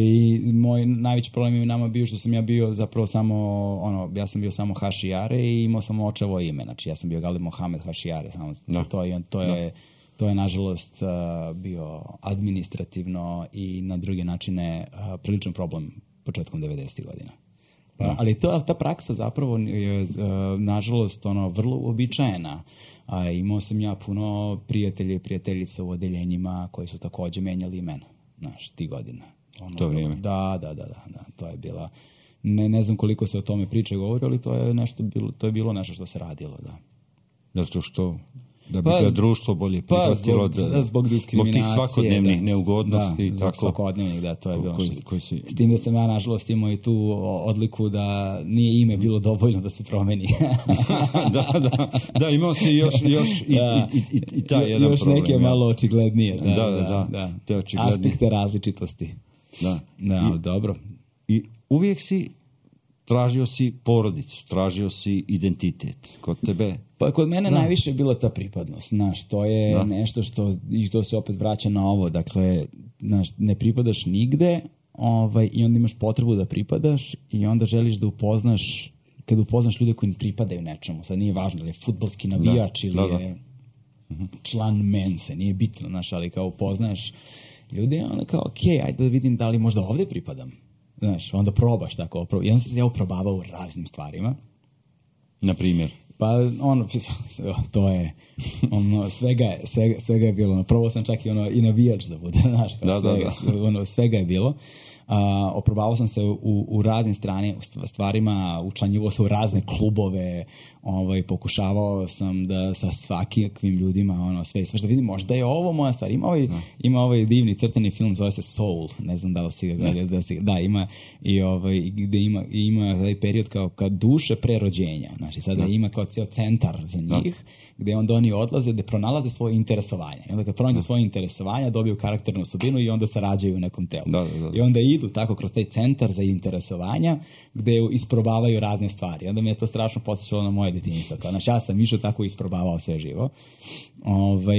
moj najveći problem je nama bio što sam ja bio zapravo samo, ono, ja sam bio samo Hašijare i imao sam očevo ime, znači ja sam bio Galeb Mohamed Hašijare, samo da. to, je, to je... Da. To je, nažalost, bio administrativno i na druge načine priličan problem početkom devedesetih godina. Pa, ali to, ta praksa zapravo je, nažalost, ono, vrlo uobičajena. A, imao sam ja puno prijatelja i prijateljica u odeljenjima koji su takođe menjali imena, znaš, ti godina. Ono, to vrijeme. Da, da, da, da, da, to je bila... Ne, ne znam koliko se o tome priče govori, ali to je, nešto bilo, to je bilo nešto što se radilo, da. Zato što... Da bi pa, ga društvo bolje prihvatilo, pa, zbog, da, zbog diskriminacije, zbog tih svakodnevnih da, neugodnosti. Da, zbog tako, svakodnevnih, da, to je bilo koji, što... Koji si... S tim da sam ja, nažalost, imao i tu odliku da nije ime bilo dovoljno da se promeni. da, da, da, imao si još, još i, da, i, i, i taj jedan još problem. Još neke malo očiglednije. Da, da, da, da, da, da. Aspekte različitosti. Da, da ali dobro. I uvijek si tražio si porodicu, tražio si identitet. Kod tebe? Pa kod mene da. najviše je bila ta pripadnost, znaš, to je da. nešto što, i to se opet vraća na ovo, dakle, znaš, ne pripadaš nigde, ovaj, i onda imaš potrebu da pripadaš i onda želiš da upoznaš, kad upoznaš ljude koji pripadaju nečemu, sad nije važno da li je fudbalski navijač da. ili da, da. je član mense, nije bitno, znaš, ali kao upoznaš ljude, onda kao, ok, ajde da vidim da li možda ovde pripadam. Znaš, onda probaš tako. I onda sam se ja uprobavao u raznim stvarima. Na primjer? Pa, ono, to je, ono, svega je, svega, svega je bilo. Probao sam čak i, ono, i navijač da bude, znaš. Da, svega, da, da. Ono, svega je bilo. A, oprobavao sam se u, u raznim strani, stvarima, učlanjivao se u razne klubove, ovaj, pokušavao sam da sa svakakvim ljudima, ono, sve, sve što vidim, možda je ovo moja stvar. Ima ovaj, no. ima ovaj divni crtani film, zove se Soul, ne znam da li si ga gledali, da, si, da, ima, i ovaj, gde ima, ima taj period kao, kao duše prerođenja, znači sada no. ima kao cijel centar za njih, no. gde onda oni odlaze, gde pronalaze svoje interesovanja. I onda kad pronađu no. svoje interesovanja, dobiju karakternu osobinu i onda se rađaju u nekom telu. Da, da, da. I onda idu tako kroz taj centar za interesovanja, gde isprobavaju razne stvari. Onda mi je to strašno podsjećalo na moje detinjstvo. Kao, znači, ja sam išao tako isprobavao sve živo. Ove,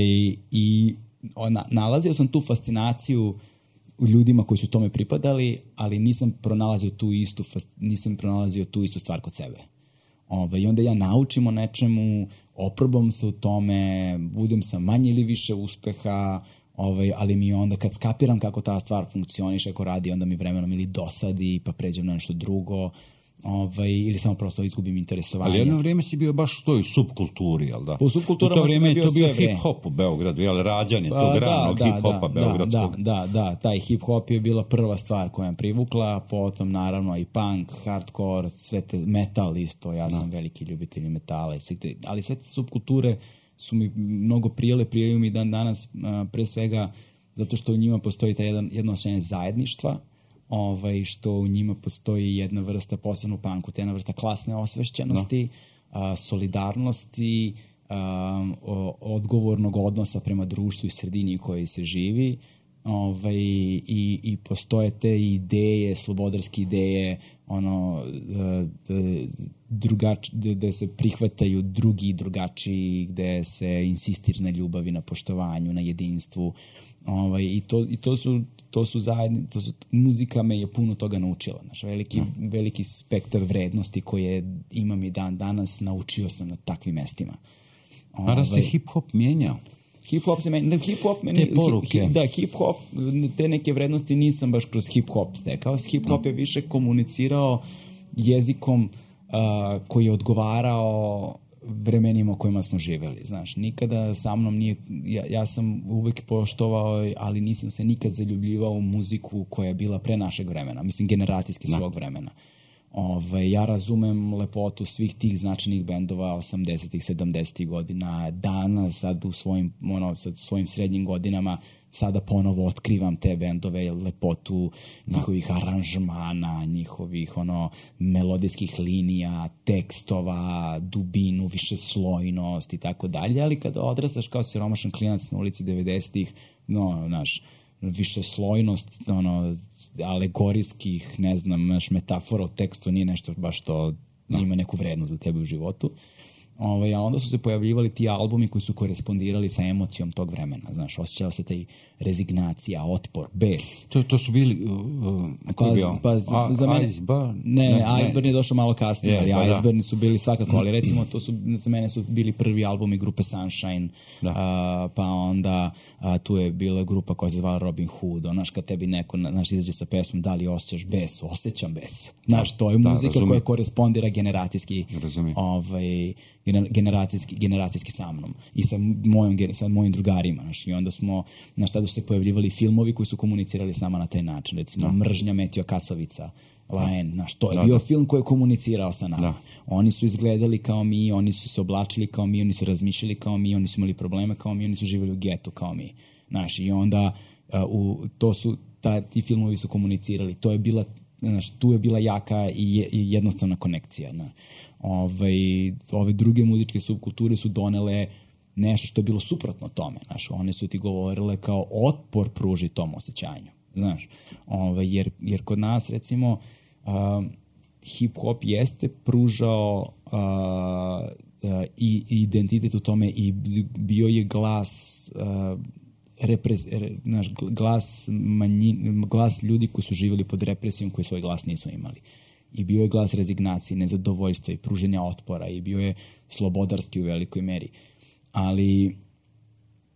I ona, nalazio sam tu fascinaciju u ljudima koji su tome pripadali, ali nisam pronalazio tu istu, nisam pronalazio tu istu stvar kod sebe. Ove, I onda ja naučim o nečemu, oprobam se u tome, budem sa manje ili više uspeha, ovaj, ali mi onda kad skapiram kako ta stvar funkcioniše, ako radi, onda mi vremenom ili dosadi, pa pređem na nešto drugo, ovaj, ili samo prosto izgubim interesovanje. Ali jedno vrijeme si bio baš u toj subkulturi, jel da? U subkulturama sam bio, bio sve vrijeme. To bio hip-hop u Beogradu, jel, rađanje tog da, ranog da, hip-hopa da, beogradskog. Da, da, da, taj hip-hop je bila prva stvar koja me privukla, potom naravno i punk, hardcore, sve te, metal isto, ja sam da. veliki ljubitelj metala, i sve te, ali sve te subkulture su mi mnogo prijele, prijeli mi dan danas, pre svega zato što u njima postoji ta jedan, jedno osjećanje zajedništva, ovaj, što u njima postoji jedna vrsta, posebno u punku, te jedna vrsta klasne osvešćenosti, a, solidarnosti, a, o, odgovornog odnosa prema društvu i sredini u kojoj se živi, ovaj, i, i postoje te ideje, slobodarske ideje, ono, drugač, gde se prihvataju drugi i drugačiji, gde se insistira na ljubavi, na poštovanju, na jedinstvu. Ovaj, i to, i to su, to su zajedni, to su, muzika me je puno toga naučila. Znaš, veliki, mm. veliki spektar vrednosti koje imam i dan danas naučio sam na takvim mestima. Ovaj, a da se hip-hop mijenjao? Hip-hop se meni, hip-hop meni, te poruke. Hip, da, hip-hop, te neke vrednosti nisam baš kroz hip-hop stekao. Hip-hop no. je više komunicirao jezikom uh, koji je odgovarao vremenima u kojima smo živeli. Znaš, nikada sa mnom nije, ja, ja sam uvek poštovao, ali nisam se nikad zaljubljivao u muziku koja je bila pre našeg vremena, mislim generacijski svog no. vremena. Ove, ja razumem lepotu svih tih značajnih bendova osamdesetih, sedamdesetih godina, danas sad u svojim, ono, sad svojim srednjim godinama sada ponovo otkrivam te bendove, lepotu njihovih aranžmana, njihovih ono melodijskih linija, tekstova, dubinu, višeslojnost i tako dalje, ali kada odrastaš kao siromašan klinac na ulici devedesetih, no, znaš, višeslojnost, ono, alegorijskih, ne znam, naš metafora u tekstu nije nešto baš što no. ima neku vrednost za tebe u životu. Ove, a onda su se pojavljivali ti albumi koji su korespondirali sa emocijom tog vremena. Znaš, osjećao se taj rezignacija, otpor, bes. To, to su bili... Uh, pa, pa za, za mene... Iceburn? Ne, ne, ne, Iceburn je došao malo kasnije, je, ali pa Iceburn su bili svakako, ali recimo to su, za mene su bili prvi albumi grupe Sunshine, uh, pa onda uh, tu je bila grupa koja se zvala Robin Hood, znaš, kad tebi neko, znaš, izađe sa pesmom, da li osjećaš bes? Osjećam bes. Znaš, to je muzika da, koja korespondira generacijski, ovaj, generacijski, generacijski sa mnom i sa mojim, sa mojim drugarima, znaš, i onda smo, znaš, tada su se pojavljivali filmovi koji su komunicirali s nama na taj način, recimo da. Mržnja Metio Kasovica, Laen, znaš, to je da, bio da. film koji je komunicirao sa nama. Da. Oni su izgledali kao mi, oni su se oblačili kao mi, oni su razmišljali kao mi, oni su imali probleme kao mi, oni su živjeli u getu kao mi, znaš, i onda uh, u, to su, ta, ti filmovi su komunicirali, to je bila, znaš, tu je bila jaka i, je, i jednostavna konekcija, znaš. Ove, ove druge muzičke subkulture su donele nešto što je bilo suprotno tome, znaš, one su ti govorile kao otpor pruži tom osjećanju, znaš, ove, jer, jer kod nas recimo uh, hip-hop jeste pružao uh, uh, i identitet u tome i bio je glas uh, repres, re, naš, glas, manjin, glas ljudi koji su živjeli pod represijom koji svoj glas nisu imali. I bio je glas rezignacije, nezadovoljstva i pruženja otpora i bio je slobodarski u velikoj meri. Ali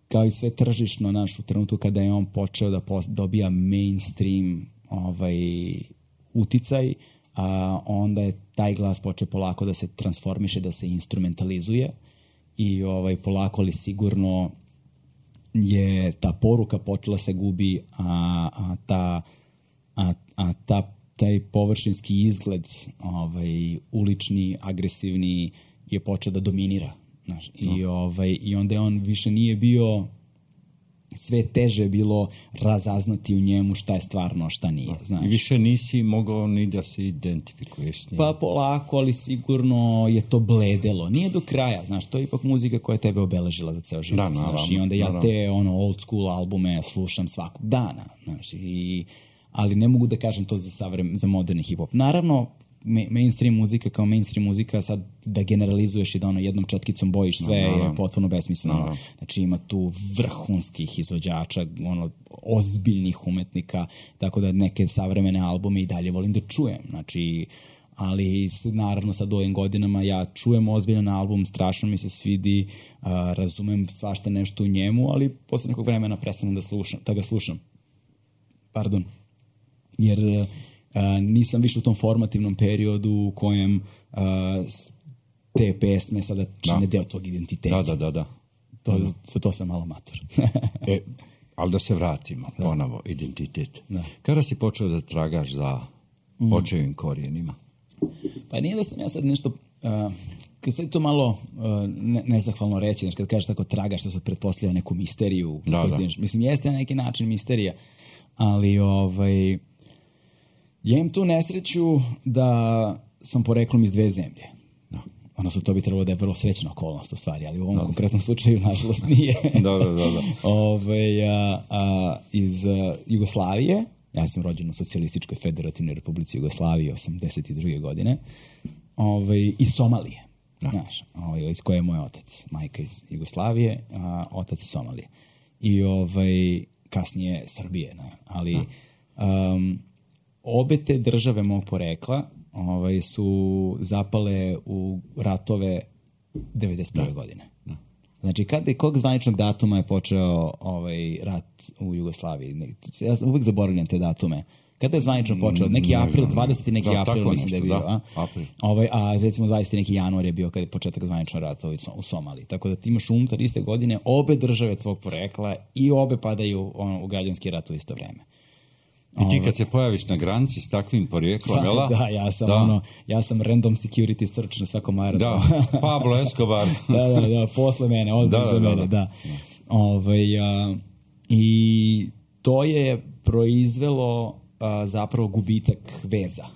kao i sve tržišno, naš, u trenutku kada je on počeo da pos, dobija mainstream ovaj, uticaj, a onda je taj glas počeo polako da se transformiše, da se instrumentalizuje i ovaj, polako ali sigurno je ta poruka počela se gubi, a, a ta a, a ta taj površinski izgled, ovaj, ulični, agresivni, je počeo da dominira. Znaš, no. i, ovaj, i onda je on više nije bio, sve teže bilo razaznati u njemu šta je stvarno, šta nije. Znaš. I više nisi mogao ni da se identifikuješ s njim. Pa polako, ali sigurno je to bledelo. Nije do kraja, znaš, to je ipak muzika koja je tebe obeležila za ceo život. Da, naravno, znaš, i onda ja naravno. te ono, old school albume slušam svakog dana. Znaš, i ali ne mogu da kažem to za, savrem, za moderni hip-hop. Naravno, ma- mainstream muzika kao mainstream muzika, sad da generalizuješ i da ono jednom četkicom bojiš sve no, no, no. je potpuno besmisleno. No, no. Znači ima tu vrhunskih izvođača, ono, ozbiljnih umetnika, tako da neke savremene albume i dalje volim da čujem. Znači, ali naravno sad u ovim godinama ja čujem ozbiljan album, strašno mi se svidi, uh, razumem svašta nešto u njemu, ali posle nekog vremena prestanem da, slušam, da ga slušam. Pardon. Jer uh, nisam više u tom formativnom periodu u kojem uh, te pesme sada čine da. deo tvog identiteta. Da, da, da. da. To, za to sam malo mator. e, ali da se vratimo da. ponovo, identitet. Da. Kada si počeo da tragaš za mm. očevim korijenima? Pa nije da sam ja sad nešto... Uh, kad sad to malo uh, ne, nezahvalno reći, znači kad kažeš tako tragaš, što se pretpostavlja neku misteriju. Da, da. Mislim, jeste na neki način misterija, ali ovaj... Ja imam tu nesreću da sam poreklom iz dve zemlje. No. Odnosno, to bi trebalo da je vrlo srećna okolnost u stvari, ali u ovom no. konkretnom slučaju, nažalost, nije. da, da, da. da. Ove, a, a, iz a, Jugoslavije, ja sam rođen u Socijalističkoj federativnoj republici Jugoslavije osamdeset druge godine, ove, iz Somalije, no. znaš, ove, iz koje je moj otac, majka iz Jugoslavije, a otac iz Somalije. I ovaj, kasnije Srbije, ne? ali no. um, obe te države mog porekla ovaj, su zapale u ratove devedeset prve. No. godine. No. Znači, kada i kog zvaničnog datuma je počeo ovaj rat u Jugoslaviji? Ja uvijek zaboravljam te datume. Kada je zvanično počeo? Neki april, dvadeseti neki da, april, mislim nešto, da je bio. Da, a? Ovaj, a recimo dvadeseti neki januar je bio kada je početak zvaničnog rata u Somaliji. Tako da ti imaš unutar iste godine obe države tvog porekla i obe padaju on, u građanski rat u isto vreme. I ti kad se pojaviš na granici s takvim porijeklom, da, jela? Da, ja sam, da. Ono, ja sam random security search na svakom aerodromu. Da, Pablo Escobar. da, da, da, posle mene, odmah da, za da, mene, da. da. Ove, a, I to je proizvelo a, zapravo gubitak veza.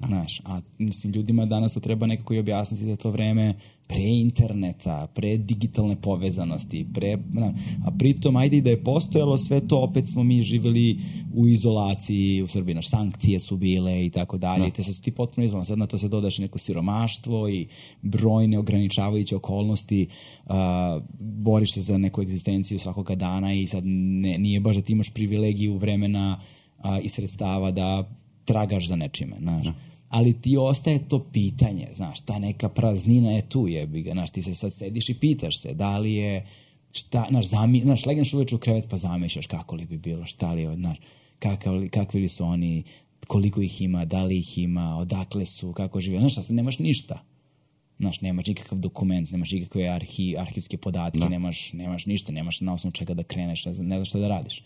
Znaš, a mislim, ljudima danas to treba nekako i objasniti da to vreme pre interneta, pre digitalne povezanosti, pre, na, a pritom, ajde i da je postojalo sve to, opet smo mi živjeli u izolaciji u Srbiji, naš sankcije su bile i tako dalje, te su ti potpuno izolovani. Sad na to se dodaš neko siromaštvo i brojne ograničavajuće okolnosti, a, boriš se za neku egzistenciju svakoga dana i sad ne, nije baš da ti imaš privilegiju vremena a, i sredstava da tragaš za nečime, znaš. No. Ali ti ostaje to pitanje, znaš, ta neka praznina je tu, jebi ga, znaš, ti se sad sediš i pitaš se, da li je, šta, znaš, zami, znaš, legneš uveče u krevet pa zamišljaš kako li bi bilo, šta li je, znaš, kakav, kakvi li su oni, koliko ih ima, da li ih ima, odakle su, kako žive, znaš, sad nemaš ništa, znaš, nemaš nikakav dokument, nemaš nikakve arhi, arhivske podatke, no. nemaš, nemaš ništa, nemaš na osnovu čega da kreneš, ne znam, ne znaš šta da radiš.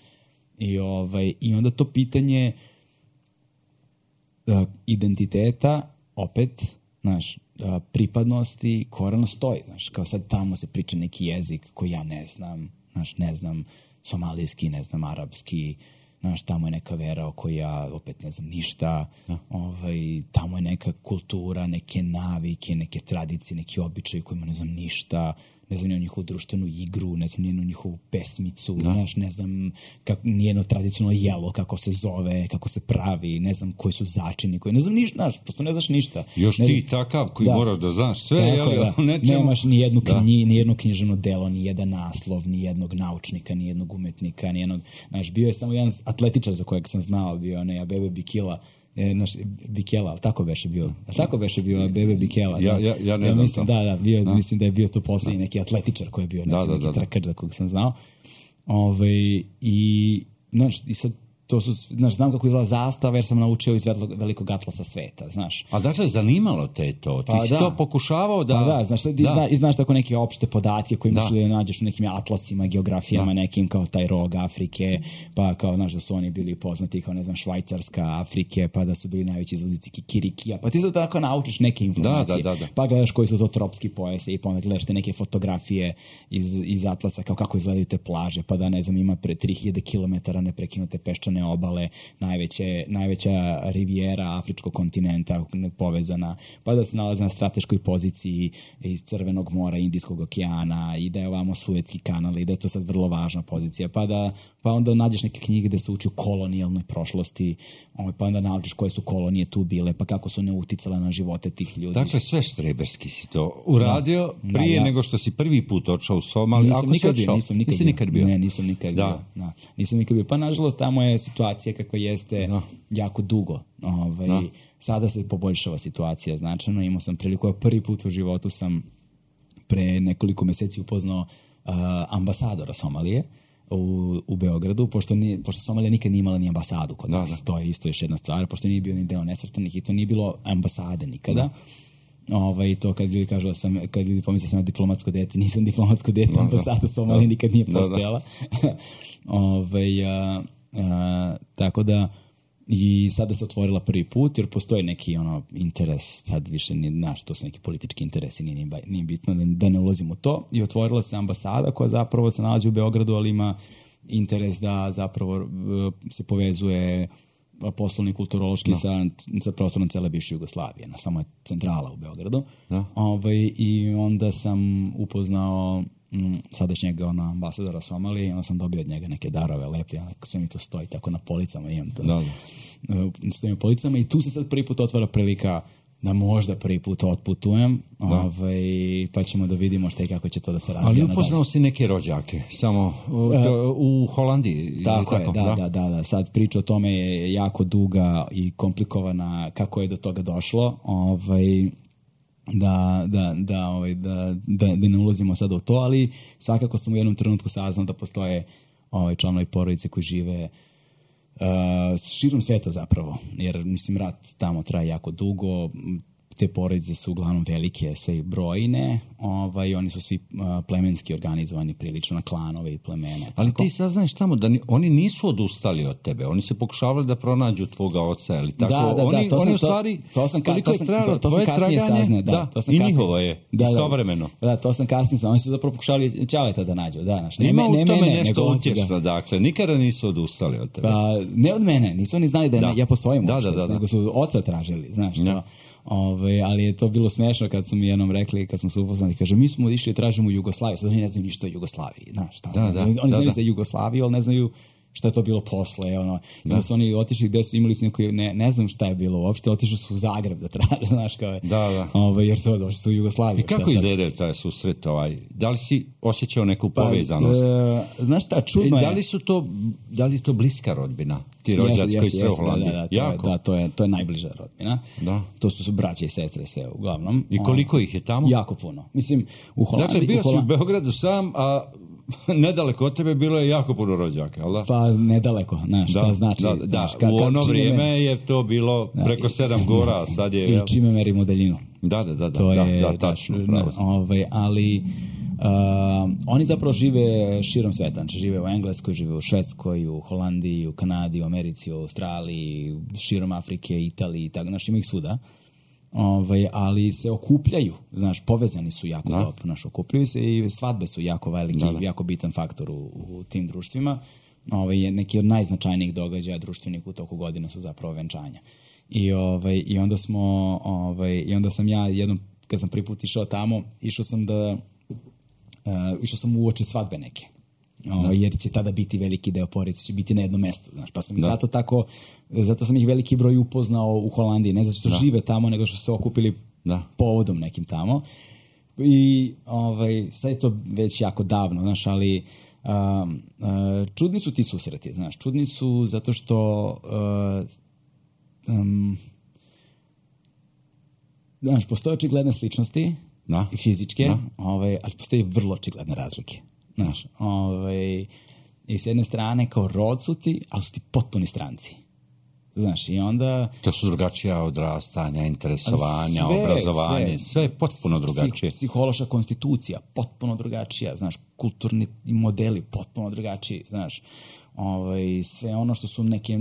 I, ovaj, i onda to pitanje Uh, identiteta, opet, znaš, uh, pripadnosti, koreno stoji, znaš, kao sad tamo se priča neki jezik koji ja ne znam, znaš, ne znam somalijski, ne znam arapski, znaš, tamo je neka vera o kojoj ja opet ne znam ništa, ja. ovaj, tamo je neka kultura, neke navike, neke tradicije, neki običaji kojima ne znam ništa, ne znam nijednu njihovu društvenu igru, ne znam nijednu njihovu pesmicu, da. znaš, ne znam kak, nijedno tradicionalno jelo, kako se zove, kako se pravi, ne znam koji su začini, koji, ne znam ništa, znaš, prosto ne znaš ništa. Još ne, ti takav koji da. moraš da znaš sve, Tako, jeli, da. nečemu... Nemaš ni jednu knji, ni jedno književno delo, ni jedan naslov, ni jednog naučnika, ni jednog umetnika, ni jednog, znaš, bio je samo jedan atletičar za kojeg sam znao, bio onaj Abebe Bikila, E, naš, Bikela, ali tako beše bio. A tako beše bio Bebe Bikela. Ja, ja, ja ne ja znam mislim, da, da, bio, da, mislim da je bio to posljednji neki atletičar koji je bio, ne znam, da, da, neki da, trkač za kog sam znao. Ove, i, znaš, i sad to su, znaš, znam kako izgleda zastava jer sam naučio iz velikog atlasa sveta, znaš. A dakle, zanimalo te to? Ti pa si da. to pokušavao da... Pa da, znaš, da. Zna, i znaš tako neke opšte podatke koje imaš da nađeš u nekim atlasima, geografijama, da. nekim kao taj rog Afrike, pa kao, znaš, da su oni bili poznati kao, ne znam, Švajcarska Afrike, pa da su bili najveći izvoznici kikirikija, pa ti sad tako naučiš neke informacije, da, da, da, da. pa gledaš koji su to tropski pojase i pa onda gledaš te neke fotografije iz, iz atlasa, kao kako izgledaju te plaže, pa da, ne znam, ima pre tri hiljade kilometara neprekinute peščane obale, Najveće, najveća rivijera afričkog kontinenta povezana, pa da se nalaze na strateškoj poziciji iz Crvenog mora, Indijskog okeana i da je ovamo Suetski kanal i da je to sad vrlo važna pozicija, pa da pa onda nađeš neke knjige gde se uči o kolonijalnoj prošlosti, pa onda naučiš koje su kolonije tu bile, pa kako su ne uticale na živote tih ljudi. Dakle, sve štreberski si to uradio da, prije da, ja. nego što si prvi put otišao u Somaliju. Nisam, Ako nikad, si bio, nisam, nikad, nisam nikad bio. Ne, nisam nikad da. bio. Da. Nisam nikad bio. Pa nažalost tamo je situacija kakva jeste da. jako dugo. Ovaj, da. Sada se poboljšava situacija značajno. Imao sam priliku, ja prvi put u životu sam pre nekoliko meseci upoznao uh, ambasadora Somalije u, u Beogradu, pošto, nije, pošto Somalija nikad nije imala ni ambasadu kod nas. Da, da. To je isto još jedna stvar, pošto nije bio ni deo nesvrstanih i to nije bilo ambasade nikada. Da. Ovaj, to kad ljudi kažu da sam, kad ljudi pomisle da sam diplomatsko dete, nisam diplomatsko dete, da, ambasada da. Somalije nikad nije postojala. Da, da. Ovaj, a, a, tako da i sada se otvorila prvi put jer postoji neki ono interes, sad više nije, znaš, to su neki politički interesi, nije, nije bitno da, da ne ulazim u to, i otvorila se ambasada koja zapravo se nalazi u Beogradu, ali ima interes da zapravo se povezuje poslovni, kulturološki no. sa, sa prostorom cele bivše Jugoslavije, na samo je centrala u Beogradu. No. Ovaj, I onda sam upoznao m, sadašnjeg ono, ambasadora Somalije i onda sam dobio od njega neke darove lepe, ako sve mi to stoji tako na policama, imam to. No. Stojim na policama i tu se sad prvi put otvara prilika da možda prvi put otputujem, ovaj, pa ćemo da vidimo šta i kako će to da se razvija. Ali upoznao si neke rođake, samo u, to, u Holandiji. Tako, tako je, da, da, da, da. Sad priča o tome je jako duga i komplikovana kako je do toga došlo, ovaj, da, da, da, ovaj, da, da, da ne ulazimo sad u to, ali svakako sam u jednom trenutku saznao da postoje ovaj, članovi porodice koji žive Uh, širom sveta zapravo, jer mislim rat tamo traje jako dugo, te porodice su uglavnom velike, sve brojne, ovaj, oni su svi uh, plemenski organizovani prilično na klanove i plemene. Ali tako. Ti saznaš tamo da ni, oni nisu odustali od tebe, oni se pokušavali da pronađu tvoga oca, ili tako? Da, da, oni, da, to oni sam, u stvari, to, to sam, koliko to sam, je trajalo to, to tvoje kasnije traganje, saznao, da, da, to sam i kasnije, njihovo je, da, istovremeno. Da, da, to sam kasnije, oni su zapravo pokušali Ćaleta da nađu, da, znaš, ne, Ima ne, u tome ne, nešto utječno, dakle, nikada nisu odustali od tebe. Pa, ne od mene, nisu oni znali da, da. Ne, ja postojim da, uopšte, da, da, da. nego su oca tražili, znaš, da. to. Ove, ali je to bilo smešno kad su mi jednom rekli, kad smo se upoznali, kaže, mi smo išli i tražimo Jugoslaviju, sad oni ne znaju ništa o Jugoslaviji, znaš, šta, da, da, oni da, znaju da. za Jugoslaviju, ali ne znaju šta je to bilo posle, ono, i onda su oni otišli gde su imali su neko, ne, ne znam šta je bilo uopšte, otišli su u Zagreb da traže, znaš, kao je, da, da. Ove, jer su došli su u Jugoslaviju. I kako izgleda taj susret, ovaj, da li si osjećao neku pa, povezanost? E, znaš šta, čudno je. Da li su to, da li je to bliska rodbina, ti rođaci koji sve u Holandiji? Da, da, to je, da, to je, to je najbliža rodbina. Da. To su, su braće i sestre sve uglavnom. I koliko ih je tamo? Jako puno. Mislim, u Holandiji... Dakle, bio u Holand... si u Beogradu sam, a nedaleko od tebe bilo je jako puno rođaka, ali da? Pa nedaleko, znaš, šta da, znači. Da, da, znaš, ka, u ono vrijeme me... je to bilo preko sedam gora, a sad je... I čime merimo daljinu. Da, da, da, da, to da, je, da, tačno, da, pravo si. Ovaj, ali... Uh, oni zapravo žive širom sveta, znači žive u Engleskoj, žive u Švedskoj, u Holandiji, u Kanadi, u Americi, u Australiji, širom Afrike, Italiji, tako, znači ima ih svuda. Ovaj, ali se okupljaju, znaš, povezani su jako da. dobro, znaš, okupljaju se i svadbe su jako veliki, da, da. jako bitan faktor u, u tim društvima. Ovaj, neki od najznačajnijih događaja društvenih u toku godine su zapravo venčanja. I, ovaj, i onda smo, ovaj, i onda sam ja jednom, kad sam prvi put išao tamo, išao sam da Uh, išao sam uoči svadbe neke, o, jer će tada biti veliki deo porodice, će biti na jednom mestu, znaš, pa sam ih zato tako, zato sam ih veliki broj upoznao u Holandiji, ne zato što da. žive tamo, nego što su se okupili da. povodom nekim tamo. I ovaj, sad je to već jako davno, znaš, ali um, uh, čudni su ti susreti, znaš, čudni su zato što uh, um, znaš, postoje očigledne sličnosti, Da. i fizičke, da. ovaj, ali postoji vrlo očigledne razlike. Znaš, ovaj, i s jedne strane kao rod su ti, ali su ti potpuni stranci. Znaš, i onda... To su drugačija odrastanja, interesovanja, sve, obrazovanje, sve, sve je potpuno drugačije. Psih, psihološka konstitucija, potpuno drugačija, znaš, kulturni modeli, potpuno drugačiji, znaš, ovaj, sve ono što su neke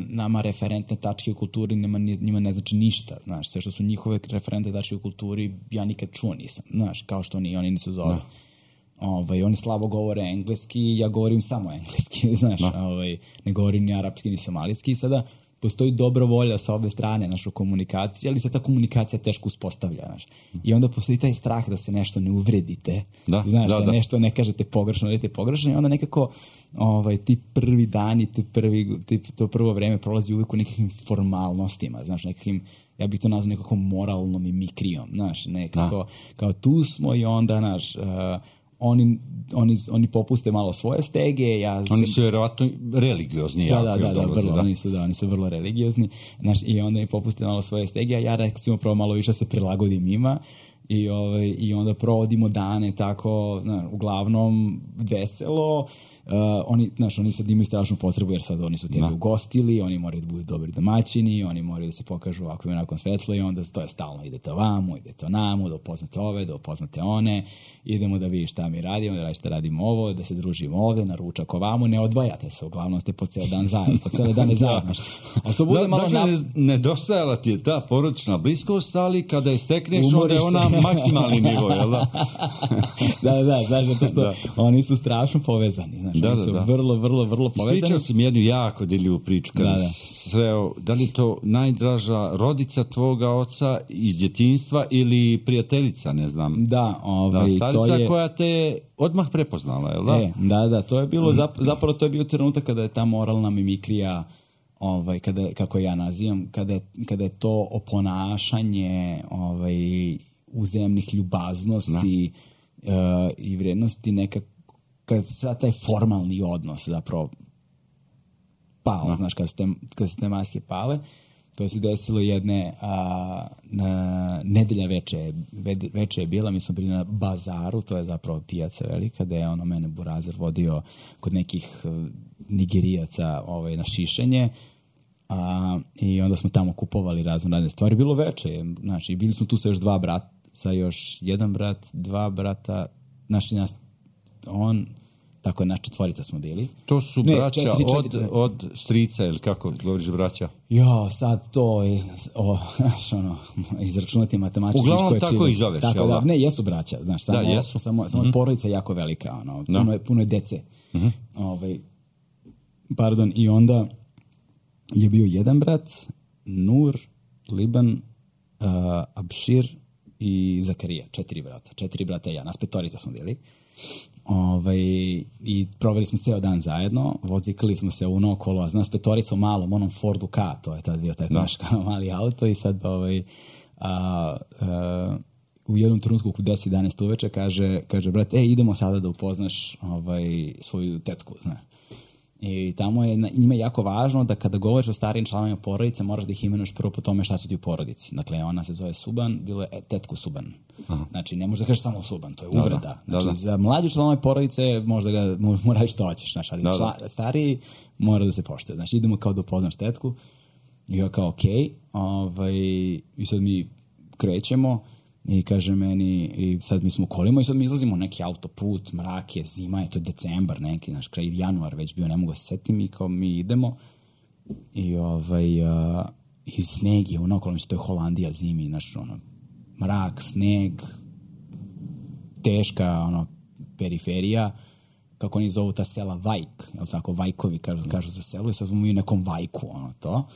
nama referentne tačke u kulturi nema, njima ne znači ništa, znaš, sve što su njihove referentne tačke u kulturi ja nikad čuo nisam, znaš, kao što oni, oni nisu zove. Da. Ovaj, oni slabo govore engleski, ja govorim samo engleski, znaš, ovaj, ne govorim ni arapski ni somalijski, sada postoji dobra volja sa obe strane našu komunikaciju, ali se ta komunikacija teško uspostavlja, znaš. I onda postoji taj strah da se nešto ne uvredite, da, znaš, da, da, da nešto ne kažete pogrešno, ne kažete pogrešno i onda nekako ovaj, ti prvi dani, ti prvi, ti, to prvo vreme prolazi uvijek u nekakvim formalnostima, znaš, nekakvim, ja bih to nazvao nekako moralnom i mikrijom, znaš, nekako, da. Kao tu smo i onda, znaš, uh, Oni, oni, oni popuste malo svoje stege. Ja oni sam... su vjerovatno religiozni. Da, jako, da, da, da, dolazi, vrlo, da. Oni, su, da, oni su vrlo religiozni. Znaš, i onda mi popuste malo svoje stege, a ja recimo prvo malo više se prilagodim ima i, ovaj, i onda provodimo dane tako, znaš, uglavnom veselo. Uh, oni, znaš, oni sad imaju strašnu potrebu jer sad oni su tebe ugostili, oni moraju da budu dobri domaćini, oni moraju da se pokažu ovako i onako svetlo i onda to je stalno, idete ovamo, idete onamo, da upoznate ove, da upoznate one, idemo da vidiš šta mi radimo, da radite radimo ovo, da se družimo ovde, na ručak ovamo, ne odvajate se, uglavnom ste po ceo dan zajedno, po cele dane zajedno. Ali to bude da, malo... Dakle, na... nedostajala ti je ta porodična bliskost, ali kada je stekneš, onda je ona maksimalni nivo, jel da? da, da, znaš, zato što da. oni su strašno povezani, znaš. Znači, da, oni da, su da. vrlo, vrlo, vrlo povezani. Ispričao sam jednu jako deljivu priču kada da, da. sreo, da li to najdraža rodica tvoga oca iz djetinjstva ili prijateljica, ne znam. Da, ovaj, da, starica to je... koja te odmah prepoznala, je li da? E, da, da, to je bilo, zapravo to je bio trenutak kada je ta moralna mimikrija, ovaj, kada, kako ja nazivam, kada je, kada je to oponašanje ovaj, uzemnih ljubaznosti uh, i vrednosti nekako, kad sad taj formalni odnos zapravo pao, no. Znaš, kad su, te, kad su te maske pale, to se desilo jedne a, na, nedelja veče, veče je bila, mi smo bili na bazaru, to je zapravo pijaca velika, da je ono mene Burazer vodio kod nekih Nigerijaca ovaj, na šišenje, a, i onda smo tamo kupovali razne razne stvari, bilo veče, znači, bili smo tu sa još dva brata, sa još jedan brat, dva brata, znači nas, on, tako je, naš četvorica smo bili. To su ne, braća četiri, četiri, od, od strica, ili kako govoriš braća? Jo, sad to je, o, znaš, ono, izračunati matematički. Uglavnom tako i zoveš, tako, da, ne, jesu braća, znaš, samo, da, jesu. samo, samo mm-hmm. porodica je jako velika, ono, puno, no. je, puno je dece. Mm-hmm. Ovaj, pardon, i onda je bio jedan brat, Nur, Liban, uh, Abšir i Zakarija, četiri brata, četiri brata i ja, nas petorica smo bili. Ovaj, i proveli smo ceo dan zajedno, vozikali smo se unokolo, nas petorica u malom, onom Fordu Ka, to je tad bio taj naš mali auto i sad ovaj, a, a, u jednom trenutku oko deset jedanaest uveče kaže, kaže brat, e, idemo sada da upoznaš ovaj, svoju tetku, znaš. I tamo je njima jako važno da kada govoriš o starijim članovima porodice, moraš da ih imenuješ prvo po tome šta su ti u porodici. Dakle, ona se zove Suban, bilo je e, tetku Suban. Aha. Znači, ne možeš da kažeš samo Suban, to je uvreda. Da, da, znači, da, da. Za mlađe članove porodice možda ga moraš što hoćeš, znaš, ali da, čla, da. stariji mora da se poštuje. Znači, idemo kao da upoznaš tetku i ja kao, ok, ovaj, i sad mi krećemo i kaže meni, i sad mi smo u kolima i sad mi izlazimo neki autoput, mrak je, zima je, to je decembar neki, znaš, kraj januar već bio, ne mogu se setim i kao mi idemo i ovaj, uh, i sneg je ono, okolo mi se to je Holandija zimi, znaš, ono, mrak, sneg, teška, ono, periferija, kako oni zovu ta sela Vajk, jel tako, Vajkovi kažu, kažu za selo i sad smo mi u nekom Vajku, ono, to.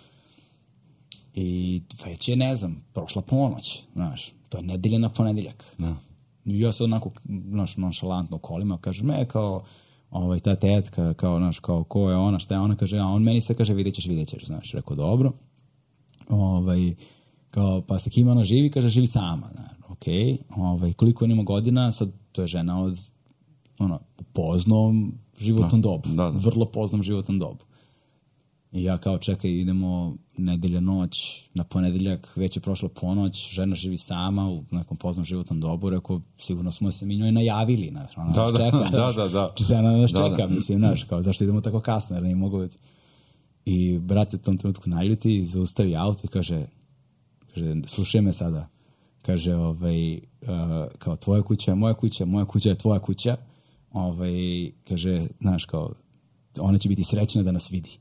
I već je, ne znam, prošla ponoć, znaš, to je nedelja na ponedeljak. No. I ja se onako, znaš, nonšalantno kolima, kaže, me kao, ovaj, ta tetka, kao, znaš, kao, ko je ona, šta je ona, kaže, a on meni sve kaže, vidjet ćeš, vidjet ćeš, znaš, rekao, dobro. Ovaj, kao, pa sa kim ona živi, kaže, živi sama, znaš, okej, okay. Ovaj, koliko on ima godina, sad, to je žena od, ono, poznom životnom da, dobu, da, da. vrlo poznom životnom dobu. I ja kao, čekaj, idemo nedelja noć, na ponedeljak, već je prošla ponoć, žena živi sama u nekom poznom životnom dobu, rekao, sigurno smo se mi njoj najavili, znaš, ona da, nas čeka, da, znaš, da, da. žena nas da, čeka, da. mislim, znaš, kao, zašto idemo tako kasno, jer ne mogu biti. I brat se u tom trenutku naljuti i zaustavi auto i kaže, kaže, slušaj me sada, kaže, ovaj, uh, kao, tvoja kuća je moja kuća, moja kuća je tvoja kuća, ovaj, kaže, znaš, kao, ona će biti srećna da nas vidi.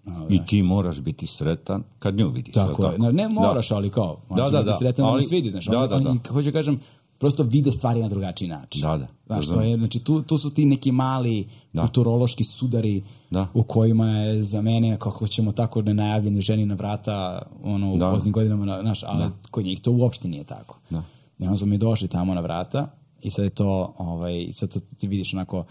No, i ti moraš biti sretan kad nju vidiš. Tako je. Ne, ne moraš, da. Ali kao, on da, će da, biti sretan da, ali, da nas vidi. Znaš, da, on, da, on, da. kako ću kažem, prosto vide stvari na drugačiji način. Da, da. Znaš, da, to je, znači, tu, tu su ti neki mali da. kulturološki sudari da. u kojima je za mene, kako ćemo tako nenajavljeni ženi na vrata ono, u da. poznim godinama, znaš, ali da. kod njih to uopšte nije tako. Da. I onda smo mi došli tamo na vrata i sad je to, ovaj, sad to ti vidiš onako,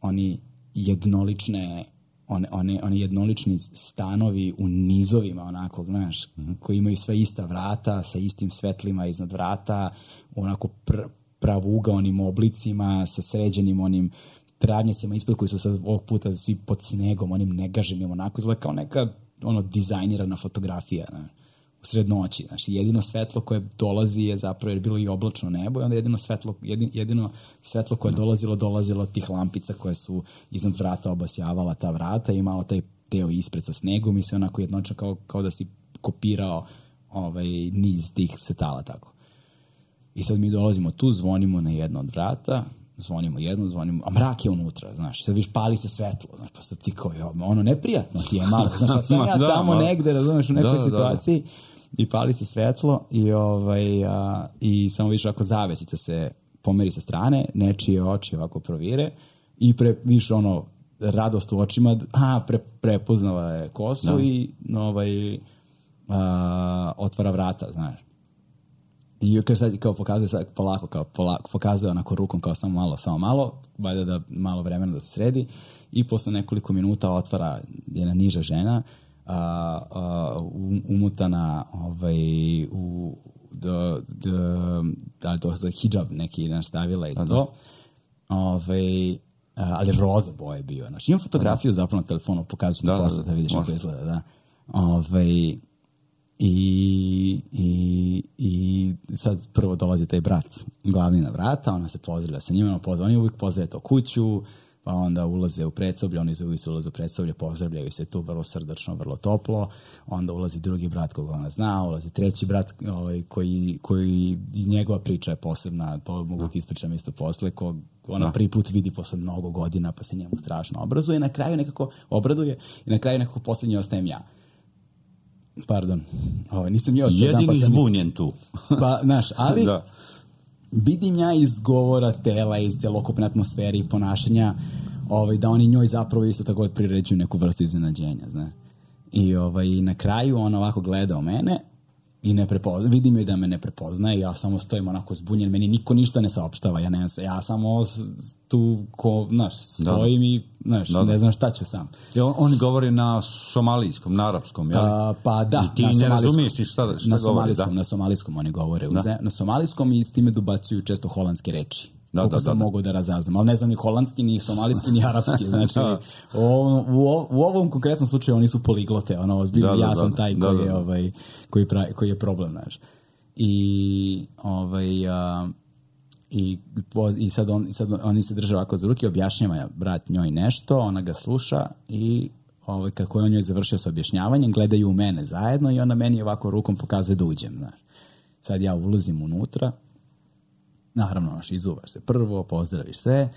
oni jednolične One, one, one jednolični stanovi u nizovima, onako, znaš, mm-hmm. koji imaju sve ista vrata, sa istim svetlima iznad vrata, onako pr, pravugaonim oblicima, sa sređenim onim travnjacima ispod koji su sad ovog puta svi pod snegom, onim negaženim, onako izgleda kao neka ono, dizajnirana fotografija, znaš, u sred noći. Znaš, jedino svetlo koje dolazi je zapravo, jer je bilo i oblačno nebo, i onda jedino svetlo, jedino, jedino svetlo koje je dolazilo, dolazilo od tih lampica koje su iznad vrata obasjavala ta vrata i imalo taj teo ispred sa snegom i sve onako jednočno kao, kao da si kopirao ovaj, niz tih svetala tako. I sad mi dolazimo tu, zvonimo na jedno od vrata, zvonimo jedno, zvonimo, a mrak je unutra, znaš, sad viš pali se svetlo, znaš, pa sad ti kao, jo, ono neprijatno ti je malo, znaš, sad sam ja da, tamo ma, negde, razumeš, u nekoj da, situaciji, da, da. I pali se svetlo i, ovaj, a, i samo vidiš ovako zavesica se pomeri sa strane, nečije oči ovako provire i pre, više ono, radost u očima, a, pre, prepoznala je kosu da. i ovaj, a, otvara vrata, znaš. I kaže sad, kao pokazuje sad polako, kao polako, pokazuje onako rukom kao samo malo, samo malo, valjda da malo vremena da se sredi i posle nekoliko minuta otvara jedna niža žena, a, a, umutana ovaj, u do, do, da li to za hidžab neki nastavila i to. Ovaj, ali roza boje bio. Znači, imam fotografiju zapravo na telefonu, pokazat ću ti posle da vidiš kako izgleda. Da. Ovaj, i, i, I sad prvo dolazi taj brat glavni na vrata, ona se pozdravlja sa njima, oni uvijek pozdravlja to kuću, pa onda ulaze u predsoblje, oni uvijek se ulaze u predsoblje, pozdravljaju se tu vrlo srdačno, vrlo toplo, onda ulazi drugi brat koga ona zna, ulazi treći brat ovaj, koji, koji njegova priča je posebna, to mogu ti ispričam isto posle, ko ona da. prvi put vidi posle mnogo godina, pa se njemu strašno obrazuje, na kraju nekako obraduje i na kraju nekako posljednji ostajem ja. Pardon, ovaj, nisam ja od jedini pa zbunjen tu. Pa, znaš, ali da. vidim ja iz govora tela, iz celokupne atmosfere i ponašanja, ovaj, da oni njoj zapravo isto tako priređuju neku vrstu iznenađenja, znaš. I ovaj, na kraju on ovako gleda u mene i ne prepozna, vidim joj da me ne prepoznaje, ja samo stojim onako zbunjen, meni niko ništa ne saopštava, ja, ne, ja samo tu ko, znaš, stojim da. i znaš, da, da. ne znam šta ću sam. I on, on govori na somalijskom, na arapskom, jel? A, pa da. I ti ne razumiješ ni šta, šta na govori, da? Na somalijskom oni govore, da. na somalijskom i s time dobacuju često holandske reči. Da, koliko da, sam da, mogu da razaznam, ali ne znam ni holandski, ni somalijski, ni arapski, znači u, u, u ovom konkretnom slučaju oni su poliglote, ono, ozbiljno, da, da, ja sam taj da, koji, da, da. Je, ovaj, koji, pravi, koji je problem, znaš. I, ovaj, a, i, i sad, on, i sad oni se drže ovako za ruke, objašnjava brat njoj nešto, ona ga sluša i ovaj, kako je on njoj završio sa objašnjavanjem, gledaju u mene zajedno i ona meni ovako rukom pokazuje da uđem, znaš. Sad ja ulazim unutra, naravno, naš, izuvaš se prvo, pozdraviš se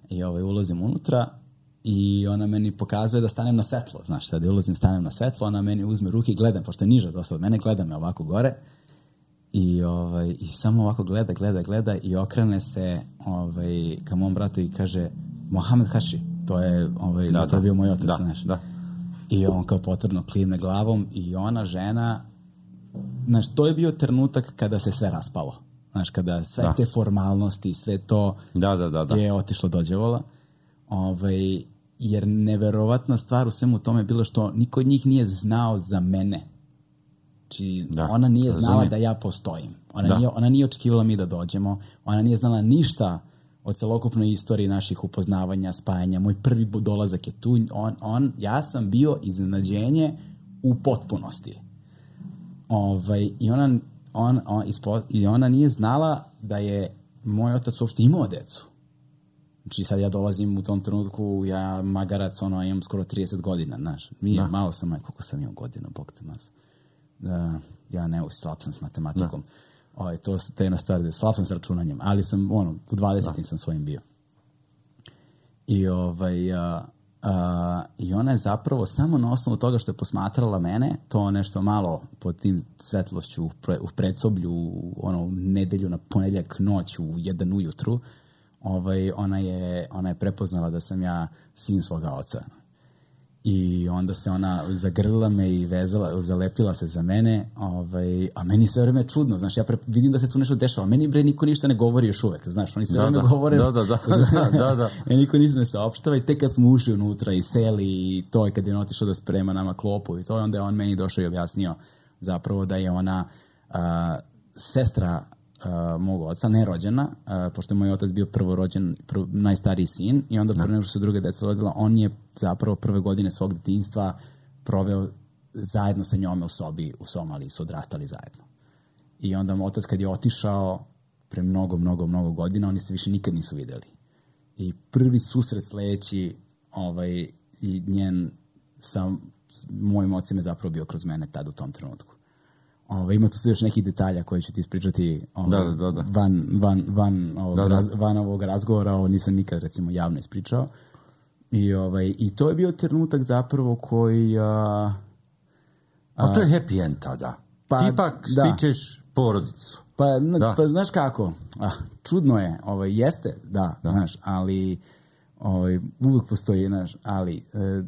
i ovaj, ulazim unutra i ona meni pokazuje da stanem na svetlo, znaš, sad ulazim, stanem na svetlo, ona meni uzme ruke i gleda, pošto je niža dosta od mene, gleda me ovako gore i, ovaj, i samo ovako gleda, gleda, gleda i okrene se ovaj, ka mom bratu i kaže Mohamed Haši, to je ovaj, da, da, bio moj otac, da, znaš. Da. I on kao potvrdno klimne glavom i ona žena, znaš, to je bio trenutak kada se sve raspalo. Znaš, kada sve da. te formalnosti, sve to da, da, da, da. je otišlo dođevola. Ovaj, jer neverovatna stvar u svemu tome je bilo što niko od njih nije znao za mene. Znači, da, ona nije znala razumije. da ja postojim. Ona, da. nije, ona nije očekivala mi da dođemo. Ona nije znala ništa o celokupnoj istoriji naših upoznavanja, spajanja. Moj prvi dolazak je tu. On, on, ja sam bio iznenađenje u potpunosti. Ovaj, I ona... On, on, ispo, i ona nije znala da je moj otac uopšte imao decu. Znači sad ja dolazim u tom trenutku, ja magarac, ono, imam skoro trideset godina, znaš. Mi, malo sam, aj, koliko sam imao godina, bog te mas. Da, ja ne, slab sam s matematikom. Oj, to je jedna stvar, slab sam s računanjem, ali sam, ono, u dvadesetim sam svojim bio. I ovaj... A, Uh, i ona je zapravo samo na osnovu toga što je posmatrala mene, to nešto malo pod tim svetlošću u, pre, u predsoblju, ono, u nedelju na ponedjeljak noć u jedan ujutru, ovaj, ona, je, ona je prepoznala da sam ja sin svoga oca. I onda se ona zagrlila me i vezala, zalepila se za mene, ovaj, a meni sve vreme je čudno, znaš, ja pre, vidim da se tu nešto dešava, meni bre niko ništa ne govori još uvek, znaš, oni sve vreme da, govore, da, da, da, da, da, da. meni niko ništa ne saopštava i tek kad smo ušli unutra i seli i to, i kad je on otišao da sprema nama klopu i to, onda je on meni došao i objasnio zapravo da je ona a, sestra Uh, mog oca, nerođena, uh, pošto je moj otac bio prvorođen, prv, najstariji sin i onda prvo nego što se druga deca rodila, on je zapravo prve godine svog detinjstva proveo zajedno sa njome u sobi u Somaliji, su odrastali zajedno. I onda moj otac kad je otišao pre mnogo, mnogo, mnogo godina, oni se više nikad nisu videli. I prvi susret sledeći ovaj, i njen sa mojim ocem je zapravo bio kroz mene tad u tom trenutku. Ove, ima tu sve još nekih detalja koje ću ti ispričati ove, da, da, da. van, van, van, ovog, da, da. Raz, van ovog razgovora, ovo nisam nikad recimo javno ispričao. I, ovaj, i to je bio trenutak zapravo koji... A, a, a to je happy end tada. Pa, ti ipak stičeš da. porodicu. Pa, da. pa znaš kako, ah, čudno je, ovaj, jeste, da, da. Znaš, ali... ovaj, uvek postoji, znaš, ali e,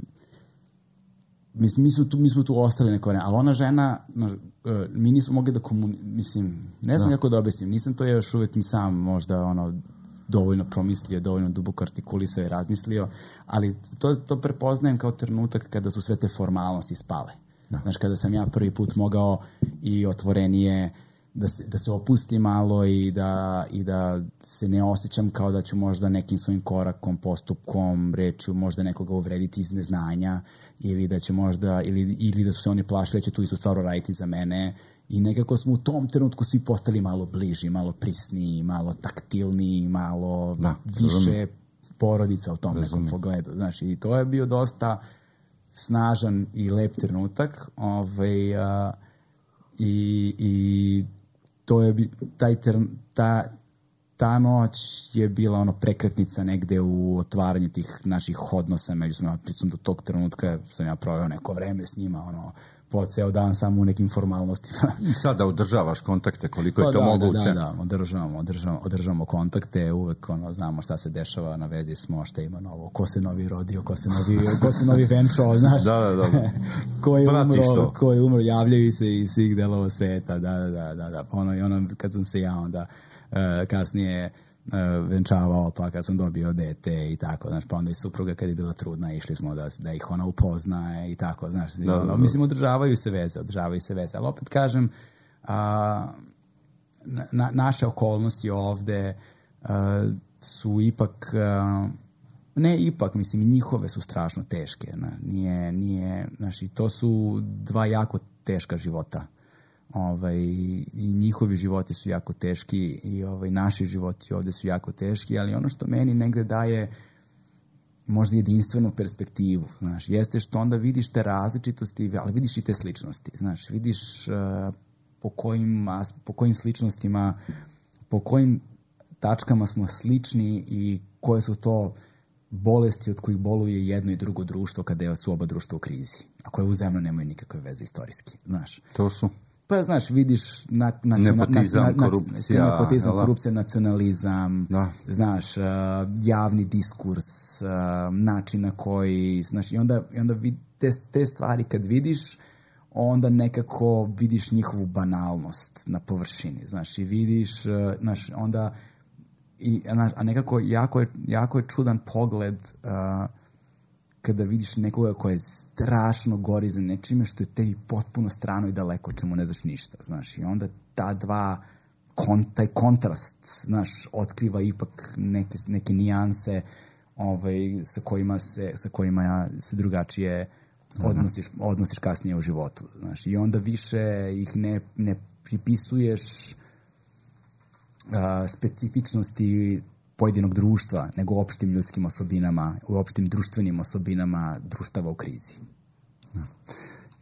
mi, mi, smo tu, mi smo tu ostali neko vreme, ali ona žena, znaš, e, mi nismo mogli da komuniciramo, mislim, ne znam da. kako da objasnim, nisam to još uvek ni sam možda ono, dovoljno promislio, dovoljno duboko artikulisao i razmislio, ali to, to prepoznajem kao trenutak kada su sve te formalnosti spale. Da. Znaš, kada sam ja prvi put mogao i otvorenije da se, da se opusti malo i da, i da se ne osjećam kao da ću možda nekim svojim korakom, postupkom, rečju možda nekoga uvrediti iz neznanja ili da će možda, ili, ili da su se oni plašili da će tu istu stvar raditi za mene i nekako smo u tom trenutku svi postali malo bliži, malo prisniji, malo taktilniji, malo da, više razum. porodica u tom razum. nekom pogledu. Znaš, i to je bio dosta snažan i lep trenutak ovaj, a, i, i to je taj ta, ta noć je bila ono prekretnica negde u otvaranju tih naših odnosa međusobno. Pričam do tog trenutka sam ja proveo neko vreme s njima, ono, po ceo dan samo u nekim formalnostima. I sada održavaš kontakte koliko je to da, moguće? Da, da, da, održavamo, održavamo, održavamo kontakte, uvek ono, znamo šta se dešava, na vezi smo, šta ima novo, ko se novi rodio, ko se novi, ko se novi venčao, znaš. Da, da, da. ko je umro, ko je umro, javljaju se iz svih delova sveta, da, da, da, da, da. Ono, i ono, kad sam se ja onda uh, kasnije Uh, venčavao, pa kad sam dobio dete i tako, znaš, pa onda i supruga kad je bila trudna, išli smo da, da ih ona upoznaje i tako, znaš, da, ono, da, da. mislim, održavaju se veze, održavaju se veze, ali opet kažem, a, na, naše okolnosti ovde a, su ipak, a, ne ipak, mislim, i njihove su strašno teške, na, nije, nije, znaš, i to su dva jako teška života. Ovaj, i njihovi životi su jako teški i ovaj, naši životi ovde su jako teški, ali ono što meni negde daje možda jedinstvenu perspektivu, znaš, jeste što onda vidiš te različitosti, ali vidiš i te sličnosti, znaš, vidiš uh, po, kojim, po kojim sličnostima, po kojim tačkama smo slični i koje su to bolesti od kojih boluje jedno i drugo društvo kada su oba društva u krizi, a koje uzajamno nemaju nikakve veze istorijski, znaš. To su? Pa, znaš, vidiš na, na, nepotizam, na, na, korupcija, nepotizam, korupcija, nacionalizam, da. znaš, uh, javni diskurs, uh, način na koji, znaš, i onda, i onda vid, te, te stvari kad vidiš, onda nekako vidiš njihovu banalnost na površini, znaš, i vidiš, uh, znaš, onda, i, a nekako jako je, jako je čudan pogled uh, kada vidiš nekoga koja je strašno gori za nečime što je tebi potpuno strano i daleko, čemu ne znaš ništa, znaš, i onda ta dva, kon, taj kontrast, znaš, otkriva ipak neke, neke nijanse ovaj, sa kojima se, sa kojima se drugačije odnosiš, odnosiš kasnije u životu, znaš, i onda više ih ne, ne pripisuješ uh, specifičnosti pojedinog društva, nego opštim ljudskim osobinama, u opštim društvenim osobinama društava u krizi.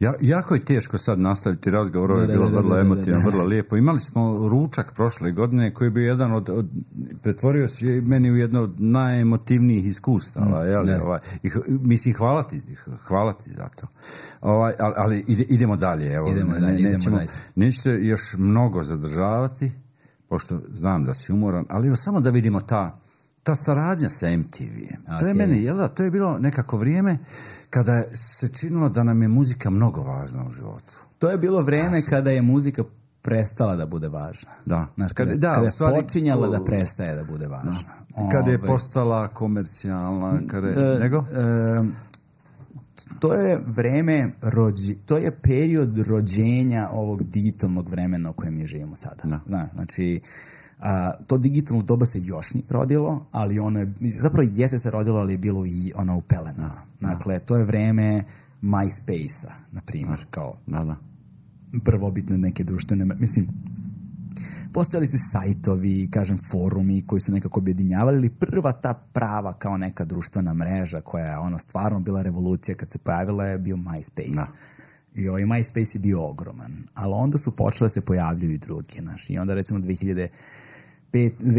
Ja, jako je teško sad nastaviti razgovor, ovo je bilo vrlo emotivno, vrlo lijepo. Imali smo ručak prošle godine koji bi jedan od, od pretvorio se meni u jedno od najemotivnijih iskustava, mm, jel, ovaj, i, mislim, hvala ti, hvala ti za to. Ovaj, ali, ali ide, idemo dalje, evo, idemo ne, dalje, nećemo, idemo dalje. Nećete još mnogo zadržavati, pošto znam da si umoran, ali evo samo da vidimo ta, ta saradnja sa em te ve. Okay. To je meni, jel da, to je bilo nekako vrijeme kada se činilo da nam je muzika mnogo važna u životu. To je bilo vrijeme sam... kada je muzika prestala da bude važna. Da. Znaš, kada, da, kada je stvari, počinjala da prestaje da bude važna. Da. Kada je postala komercijalna, kada je, e, nego? E, to je vreme, rođi, to je period rođenja ovog digitalnog vremena u kojem mi živimo sada. Da. Zna, znači, a, to digitalno doba se još nije rodilo, ali ono je, zapravo jeste se rodilo, ali je bilo i ono u pelenama. Da. Dakle, to je vreme MySpace-a, na primjer, da. Kao da, da. prvobitne neke društvene, mislim, postojali su sajtovi, kažem, forumi koji su nekako objedinjavali, ali prva ta prava kao neka društvena mreža koja je ono stvarno bila revolucija kad se pojavila je bio MySpace. Da. I ovaj MySpace je bio ogroman. Ali onda su počele se pojavljuju i drugi, znaš. I onda recimo dve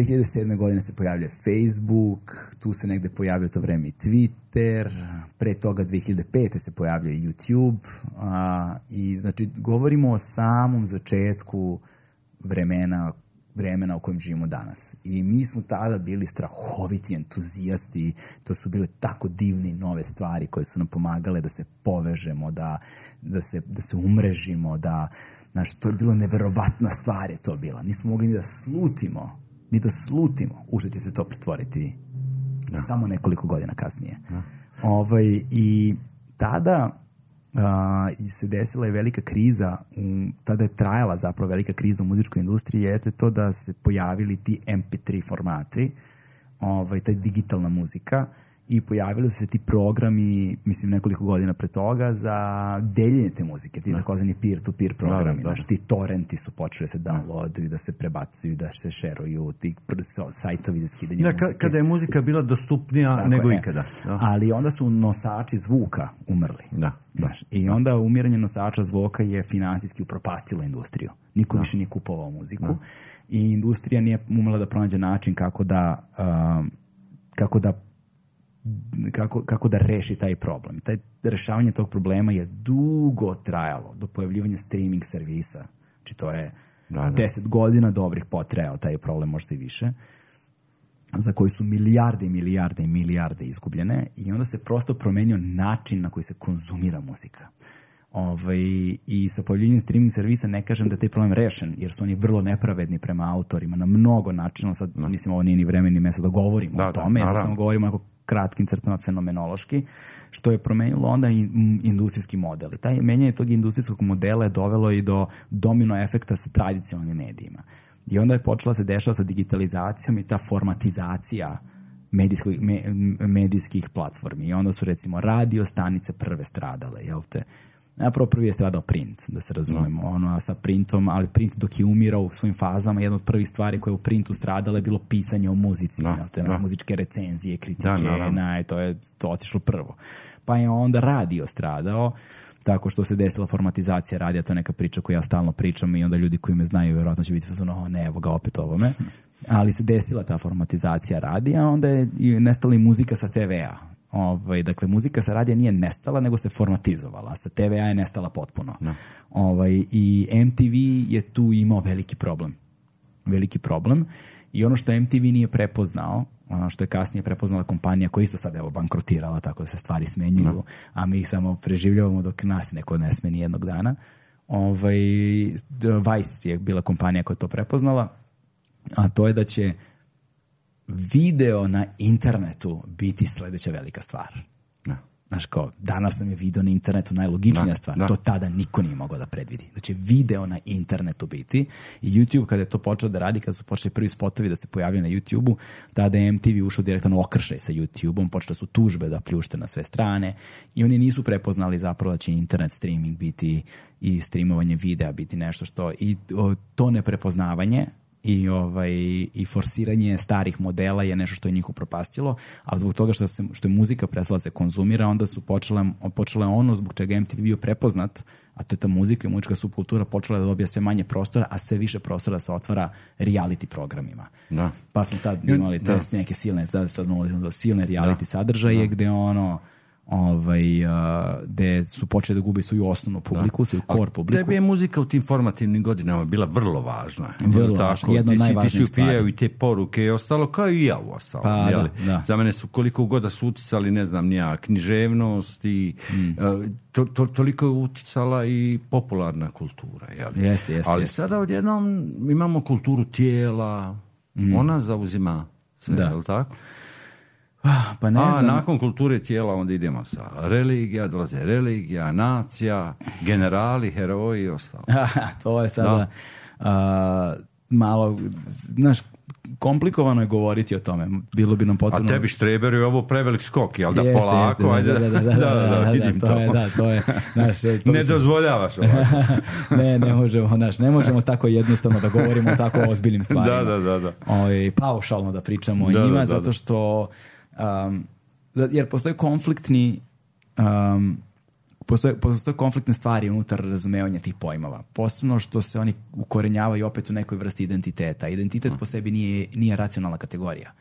hiljade sedme godine se pojavljuje Facebook, tu se negde pojavljuje to vreme i Twitter, pre toga dve hiljade pete se pojavljuje YouTube, a, i znači govorimo o samom začetku vremena vremena u kojem živimo danas. I mi smo tada bili strahoviti entuzijasti, to su bile tako divne nove stvari koje su nam pomagale da se povežemo, da, da, se, da se umrežimo, da, znaš, to je bilo neverovatna stvar je to bila. Nismo mogli ni da slutimo, ni da slutimo, u što će se to pretvoriti da. Samo nekoliko godina kasnije. Da. Ovaj, i tada Uh, se desila je velika kriza, um, tada je trajala zapravo velika kriza u muzičkoj industriji, jeste to da se pojavili ti em pe tri formati, ovaj, taj digitalna muzika, i pojavili su se ti programi, mislim nekoliko godina pre toga, za deljenje te muzike, ti takozvani peer-to-peer programi, znaš, ti torrenti su počeli da se downloaduju, da se prebacuju, da se šeruju, ti sajtovi za skidanje da, muzike. Kada je muzika bila dostupnija tako nego je. Ikada. Da. Ali onda su nosači zvuka umrli. Da. Znaš, i onda umiranje nosača zvuka je finansijski upropastilo industriju. Niko da. više nije kupovao muziku da. i industrija nije umela da pronađe način kako da um, kako da Kako, kako da reši taj problem. Taj rešavanje tog problema je dugo trajalo do pojavljivanja streaming servisa. Znači to je da, da. deset godina dobrih potrajao taj problem, možda i više, za koji su milijarde i milijarde i milijarde izgubljene, i onda se prosto promenio način na koji se konzumira muzika. Ovaj, i sa pojavljenjem streaming servisa ne kažem da je taj problem rešen, jer su oni vrlo nepravedni prema autorima na mnogo načina. Sad, no. mislim, ovo nije ni vreme ni mesto da govorimo da, o tome, da, sad samo govorimo onako kratkim crtama fenomenološki, što je promenilo onda i industrijski model. I taj menjanje tog industrijskog modela je dovelo i do domino efekta sa tradicionalnim medijima. I onda je počela se dešava sa digitalizacijom i ta formatizacija medijskih, me, medijskih platformi. I onda su, recimo, radio stanice prve stradale, jel te? Napravo prvi je stradao print, da se razumemo, no. ono sa printom, ali print dok je umirao u svojim fazama, jedna od prvih stvari koje je u printu stradala je bilo pisanje o muzici, no, te, no. muzičke recenzije, kritike, da, no, no. to je to otišlo prvo. Pa je onda radio stradao, tako što se desila formatizacija radija, to je neka priča koju ja stalno pričam, i onda ljudi koji me znaju vjerojatno će biti fazon, oh ne, evo ga opet ovome, ali se desila ta formatizacija radija, onda je nestala i muzika sa te ve a. Ovaj, dakle, muzika sa radija nije nestala, nego se formatizovala. Sa te ve a je nestala potpuno. No. Ovaj, i em te ve je tu imao veliki problem. Veliki problem. I ono što em te ve nije prepoznao, što je kasnije prepoznala kompanija koja isto sad evo bankrotirala, tako da se stvari smenjuju, no. a mi ih samo preživljavamo dok nas neko ne smeni jednog dana. Ovaj, Vice je bila kompanija koja je to prepoznala, a to je da će video na internetu biti sledeća velika stvar. Da. Znaš, kao, danas nam je video na internetu najlogičnija da, stvar. Da. To tada niko nije mogao da predvidi. Da će video na internetu biti. I YouTube, kada je to počeo da radi, kada su počeli prvi spotovi da se pojavljaju na YouTube-u, tada je em te ve ušao direktan okršaj sa YouTube-om, počele su tužbe da pljušte na sve strane, i oni nisu prepoznali zapravo da će internet streaming biti i streamovanje videa biti nešto što... I o, to neprepoznavanje i ovaj i forsiranje starih modela je nešto što je njih upropastilo, a zbog toga što se što je muzika prestala da se konzumira, onda su počele počele ono zbog čega em te ve bio prepoznat, a to je ta muzika i muzička subkultura počela da dobija sve manje prostora, a sve više prostora se otvara reality programima. Da. Pa smo tad imali te da. neke silne, sad sad do silne reality da. sadržaje da. gde ono ovaj, uh, gde su počeli da gubi svoju osnovnu publiku, da. svoju core publiku. Tebi je muzika u tim formativnim godinama bila vrlo važna. Vrlo važna, jedna od najvažnijih stvari. Ti si upijao i te poruke i ostalo, kao i ja u ostalo. Pa, da, da. Za mene su koliko god da su uticali, ne znam, nija književnost i mm. uh, to, to, toliko je uticala i popularna kultura. Jel? Jeste, jeste. Ali jeste. sada odjednom imamo kulturu tijela, mm. ona zauzima sve, da. je li tako? Pa ne A znam. nakon kulture tijela onda idemo sa religija, dolaze religija, nacija, generali, heroji i ostalo. To je sada uh, malo, znaš, komplikovano je govoriti o tome. Bilo bi nam potpuno... A tebi Štreber je ovo prevelik skok, jel da jeste, polako? Jeste, ajde, da, da, da, da, da, da, vidim da, to. Je, da, to je, znaš, to ne dozvoljavaš ovako. ne, ne možemo, znaš, ne možemo tako jednostavno da govorimo o tako ozbiljnim stvarima. Da, da, da. da. O, paušalno da pričamo o da, njima, da, da, zato da. što... Um, jer postoje konfliktni um, postoje, postoje konfliktne stvari unutar razumevanja tih pojmova, posebno što se oni ukorenjavaju opet u nekoj vrsti identiteta. Identitet po sebi nije, nije racionalna kategorija.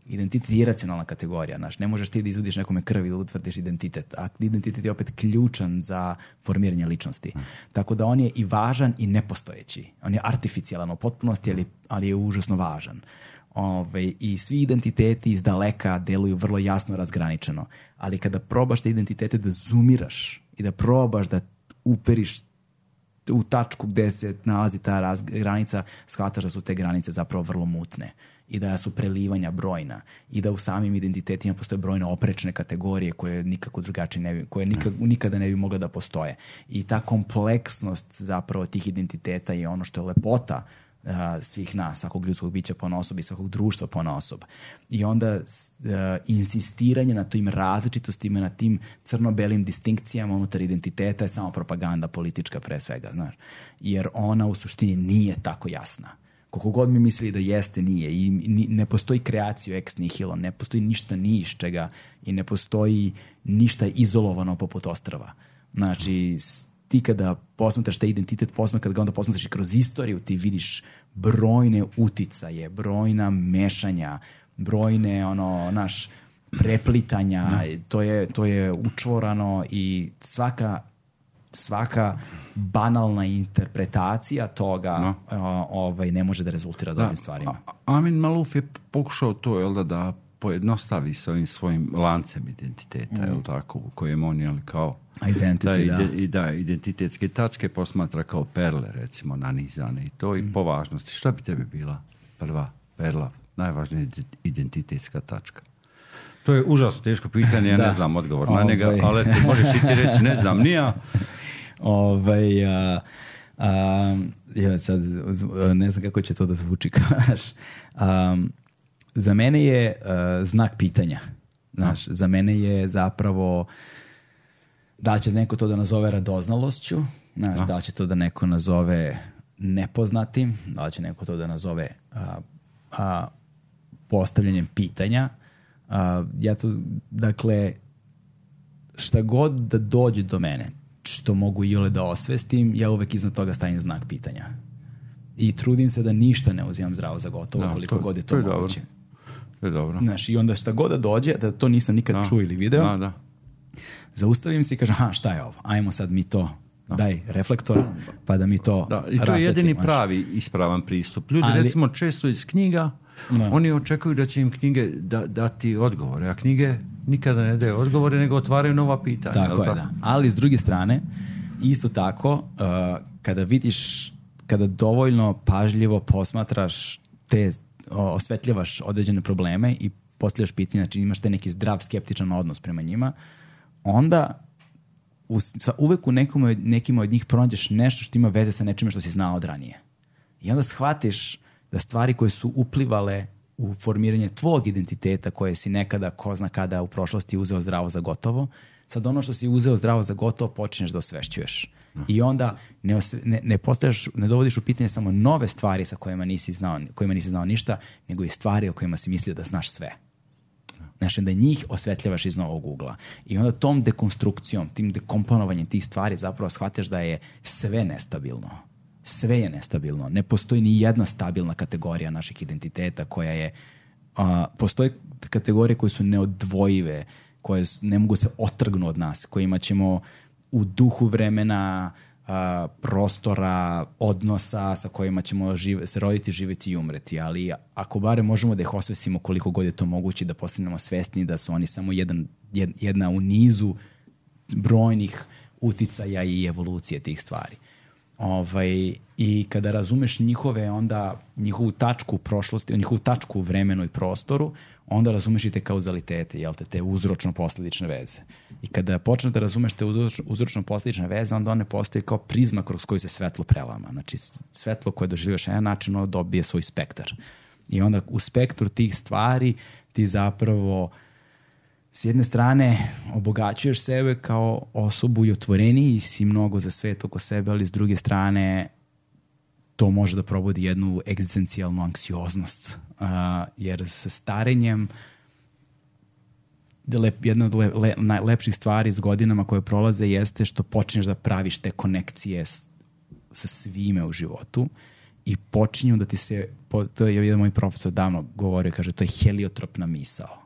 Identitet je iracionalna kategorija, znaš, ne možeš ti da izvodiš nekome krvi da utvrdiš identitet, a identitet je opet ključan za formiranje ličnosti. Mm. Tako da on je i važan i nepostojeći. On je artificijalan u potpunosti, ali, ali je užasno važan. Ove, I svi identiteti iz daleka deluju vrlo jasno razgraničeno, ali kada probaš te identitete da zoomiraš i da probaš da uperiš u tačku gde se nalazi ta raz, granica, shvataš da su te granice zapravo vrlo mutne i da su prelivanja brojna i da u samim identitetima postoje brojne oprečne kategorije koje nikako drugačije ne bi, koje nikad, nikada ne bi mogle da postoje. I ta kompleksnost zapravo tih identiteta je ono što je lepota uh, svih nas, svakog ljudskog bića ponaosob i svakog društva ponaosob. I onda uh, insistiranje na tim različitostima, na tim crno-belim distinkcijama unutar identiteta je samo propaganda politička pre svega, znaš. Jer ona u suštini nije tako jasna. Koliko god mi mislili da jeste, nije. I ne postoji kreaciju ex nihilo, ne postoji ništa ni iz čega i ne postoji ništa izolovano poput ostrva. Znači, ti kada posmatraš taj identitet, posmatraš, kada ga onda posmatraš i kroz istoriju, ti vidiš brojne uticaje, brojna mešanja, brojne, ono, naš, preplitanja, to je, to je učvorano i svaka svaka banalna interpretacija toga no. uh, ovaj, ne može da rezultira dobrim stvarima. Amin Maluf je pokušao to, jel da, da pojednostavi sa ovim svojim lancem identiteta, mm. jel tako, u kojem on, jel, kao Identity, da, da. Ide, i da, identitetske tačke posmatra kao perle, recimo, nanizane i to i mm. po važnosti. Šta bi tebi bila prva perla, najvažnija identitetska tačka? To je užasno teško pitanje, ja da. ne znam odgovor na njega, ovaj. ali ti možeš i ti reći, ne znam, nija. Ovaj, a, a, ja sad ne znam kako će to da zvuči, kaš. Um, za mene je uh, znak pitanja. Znaš, za mene je zapravo da li će neko to da nazove radoznalošću, znaš, da. da li će to da neko nazove nepoznatim, da li će neko to da nazove a, a, postavljanjem pitanja. A, ja to, dakle, šta god da dođe do mene, što mogu iole da osvestim, ja uvek iznad toga stavim znak pitanja. I trudim se da ništa ne uzimam zdravo za gotovo, da, koliko to, god je to, to je moguće. Dobro. To je dobro. Znaš, i onda šta god da dođe, da to nisam nikad da. čuo ili video, da, da. zaustavim se i kažem, aha, šta je ovo? Ajmo sad mi to, da. daj reflektor, pa da mi to da. I to rasvetli, je jedini maš. pravi ispravan pristup. Ljudi, Ali, recimo, često iz knjiga, da. oni očekuju da će im knjige da, dati odgovore, a knjige nikada ne daju odgovore, nego otvaraju nova pitanja. Tako je, da. Ali s druge strane, isto tako, uh, kada vidiš, kada dovoljno pažljivo posmatraš te, osvetljavaš određene probleme i postavljaš pitanje, znači imaš te neki zdrav, skeptičan odnos prema njima, onda u, uvek u nekom, nekima od njih pronađeš nešto što ima veze sa nečime što si znao od ranije. I onda shvatiš da stvari koje su uplivale u formiranje tvog identiteta, koje si nekada, ko zna kada u prošlosti uzeo zdravo za gotovo, sad ono što si uzeo zdravo za gotovo počneš da osvešćuješ. I onda ne, ne, ne, postavljaš, ne dovodiš u pitanje samo nove stvari sa kojima nisi znao, kojima nisi znao ništa, nego i stvari o kojima si mislio da znaš sve. Znači da njih osvetljavaš iz novog ugla. I onda tom dekonstrukcijom, tim dekomponovanjem tih stvari zapravo shvataš da je sve nestabilno. Sve je nestabilno. Ne postoji ni jedna stabilna kategorija naših identiteta koja je... A, postoje kategorije koje su neodvojive, koje ne mogu se otrgnu od nas, kojima ćemo u duhu vremena, a, prostora, odnosa sa kojima ćemo žive, se roditi, živjeti i umreti. Ali ako bare možemo da ih osvestimo koliko god je to moguće, da postanemo svesni da su oni samo jedan, jedna u nizu brojnih uticaja i evolucije tih stvari. Ovaj, i kada razumeš njihove onda njihovu tačku u prošlosti, njihovu tačku u vremenu i prostoru, onda razumeš i te kauzalitete, jel te, te uzročno-posledične veze. I kada počneš da razumeš te uzročno-posledične veze, onda one postoje kao prizma kroz koju se svetlo prelama. Znači, svetlo koje doživljaš na jedan način, ono dobije svoj spektar. I onda u spektru tih stvari ti zapravo s jedne strane obogaćuješ sebe kao osobu i otvoreniji si mnogo za svet oko sebe, ali s druge strane to može da probudi jednu egzistencijalnu anksioznost. Uh, jer sa starenjem lep, jedna od le, le, najlepših stvari s godinama koje prolaze jeste što počneš da praviš te konekcije s, sa svime u životu i počinju da ti se, to je jedan moj profesor davno govorio, kaže, to je heliotropna misao.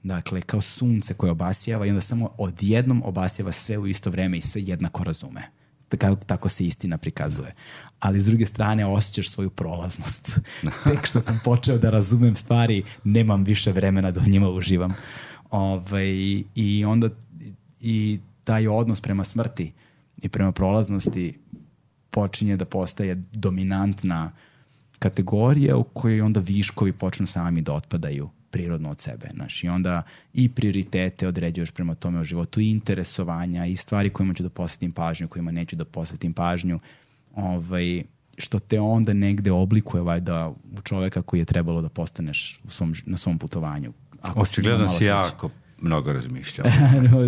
Dakle, kao sunce koje obasjava i onda samo odjednom obasjava sve u isto vreme i sve jednako razume. Tako, tako se istina prikazuje. Ali s druge strane osjećaš svoju prolaznost. Tek što sam počeo da razumem stvari, nemam više vremena da u njima uživam. Ove, I onda i taj odnos prema smrti i prema prolaznosti počinje da postaje dominantna kategorija u kojoj onda viškovi počnu sami da otpadaju prirodno od sebe. Znaš, i onda i prioritete određuješ prema tome u životu, i interesovanja, i stvari kojima ću da posvetim pažnju, kojima neću da posvetim pažnju, ovaj, što te onda negde oblikuje valjda u čoveka koji je trebalo da postaneš u svom, na svom putovanju. Očigledno si jako mnogo razmišljao.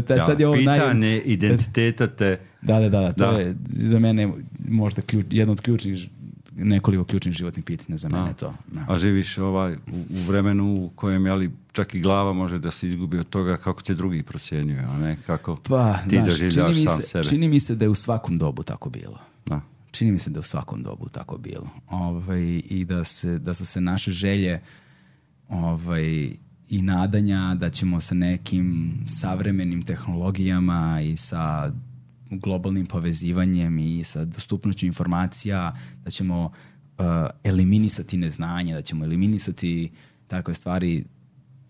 ja, sad je ovo pitanje naj... identiteta te... Da, da, da, to da. je za mene možda ključ, jedno od ključnih, nekoliko ključnih životnih pitanja za mene. To. Da. A živiš ovaj, u, u vremenu u kojem jeli, čak i glava može da se izgubi od toga kako te drugi procjenjuju, a ne kako pa, ti znaš, doživljavaš sam se, sebe. Čini mi se da je u svakom dobu tako bilo. Da. Čini mi se da je u svakom dobu tako bilo. Ovaj, I da, se, da su se naše želje ovaj, i nadanja da ćemo sa nekim savremenim tehnologijama i sa globalnim povezivanjem i sa dostupnošću informacija, da ćemo uh, eliminisati neznanje, da ćemo eliminisati takve stvari,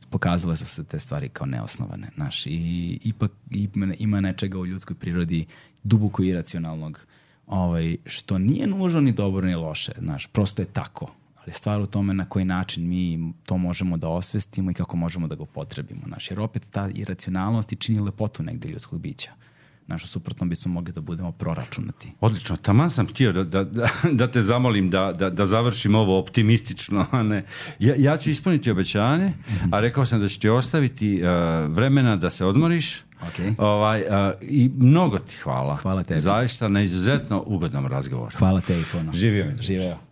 pokazale su se te stvari kao neosnovane. Znaš, i ipak ima, ima nečega u ljudskoj prirodi duboko iracionalnog, ovaj, što nije nužno ni dobro ni loše. Znaš, prosto je tako. Ali stvar u tome na koji način mi to možemo da osvestimo i kako možemo da ga upotrebimo. Znaš, jer opet ta iracionalnost i čini lepotu negde ljudskog bića. Znaš, suprotno bismo mogli da budemo proračunati. Odlično, taman sam htio da, da, da, da te zamolim da, da, da završim ovo optimistično. A ne. Ja, ja ću ispuniti obećanje, mm-hmm. a rekao sam da ću ti ostaviti uh, vremena da se odmoriš. Okay. Ovaj, uh, I mnogo ti hvala. Hvala tebi. Zaista na izuzetno ugodnom razgovoru. Hvala tebi puno. Živio mi. Živeo.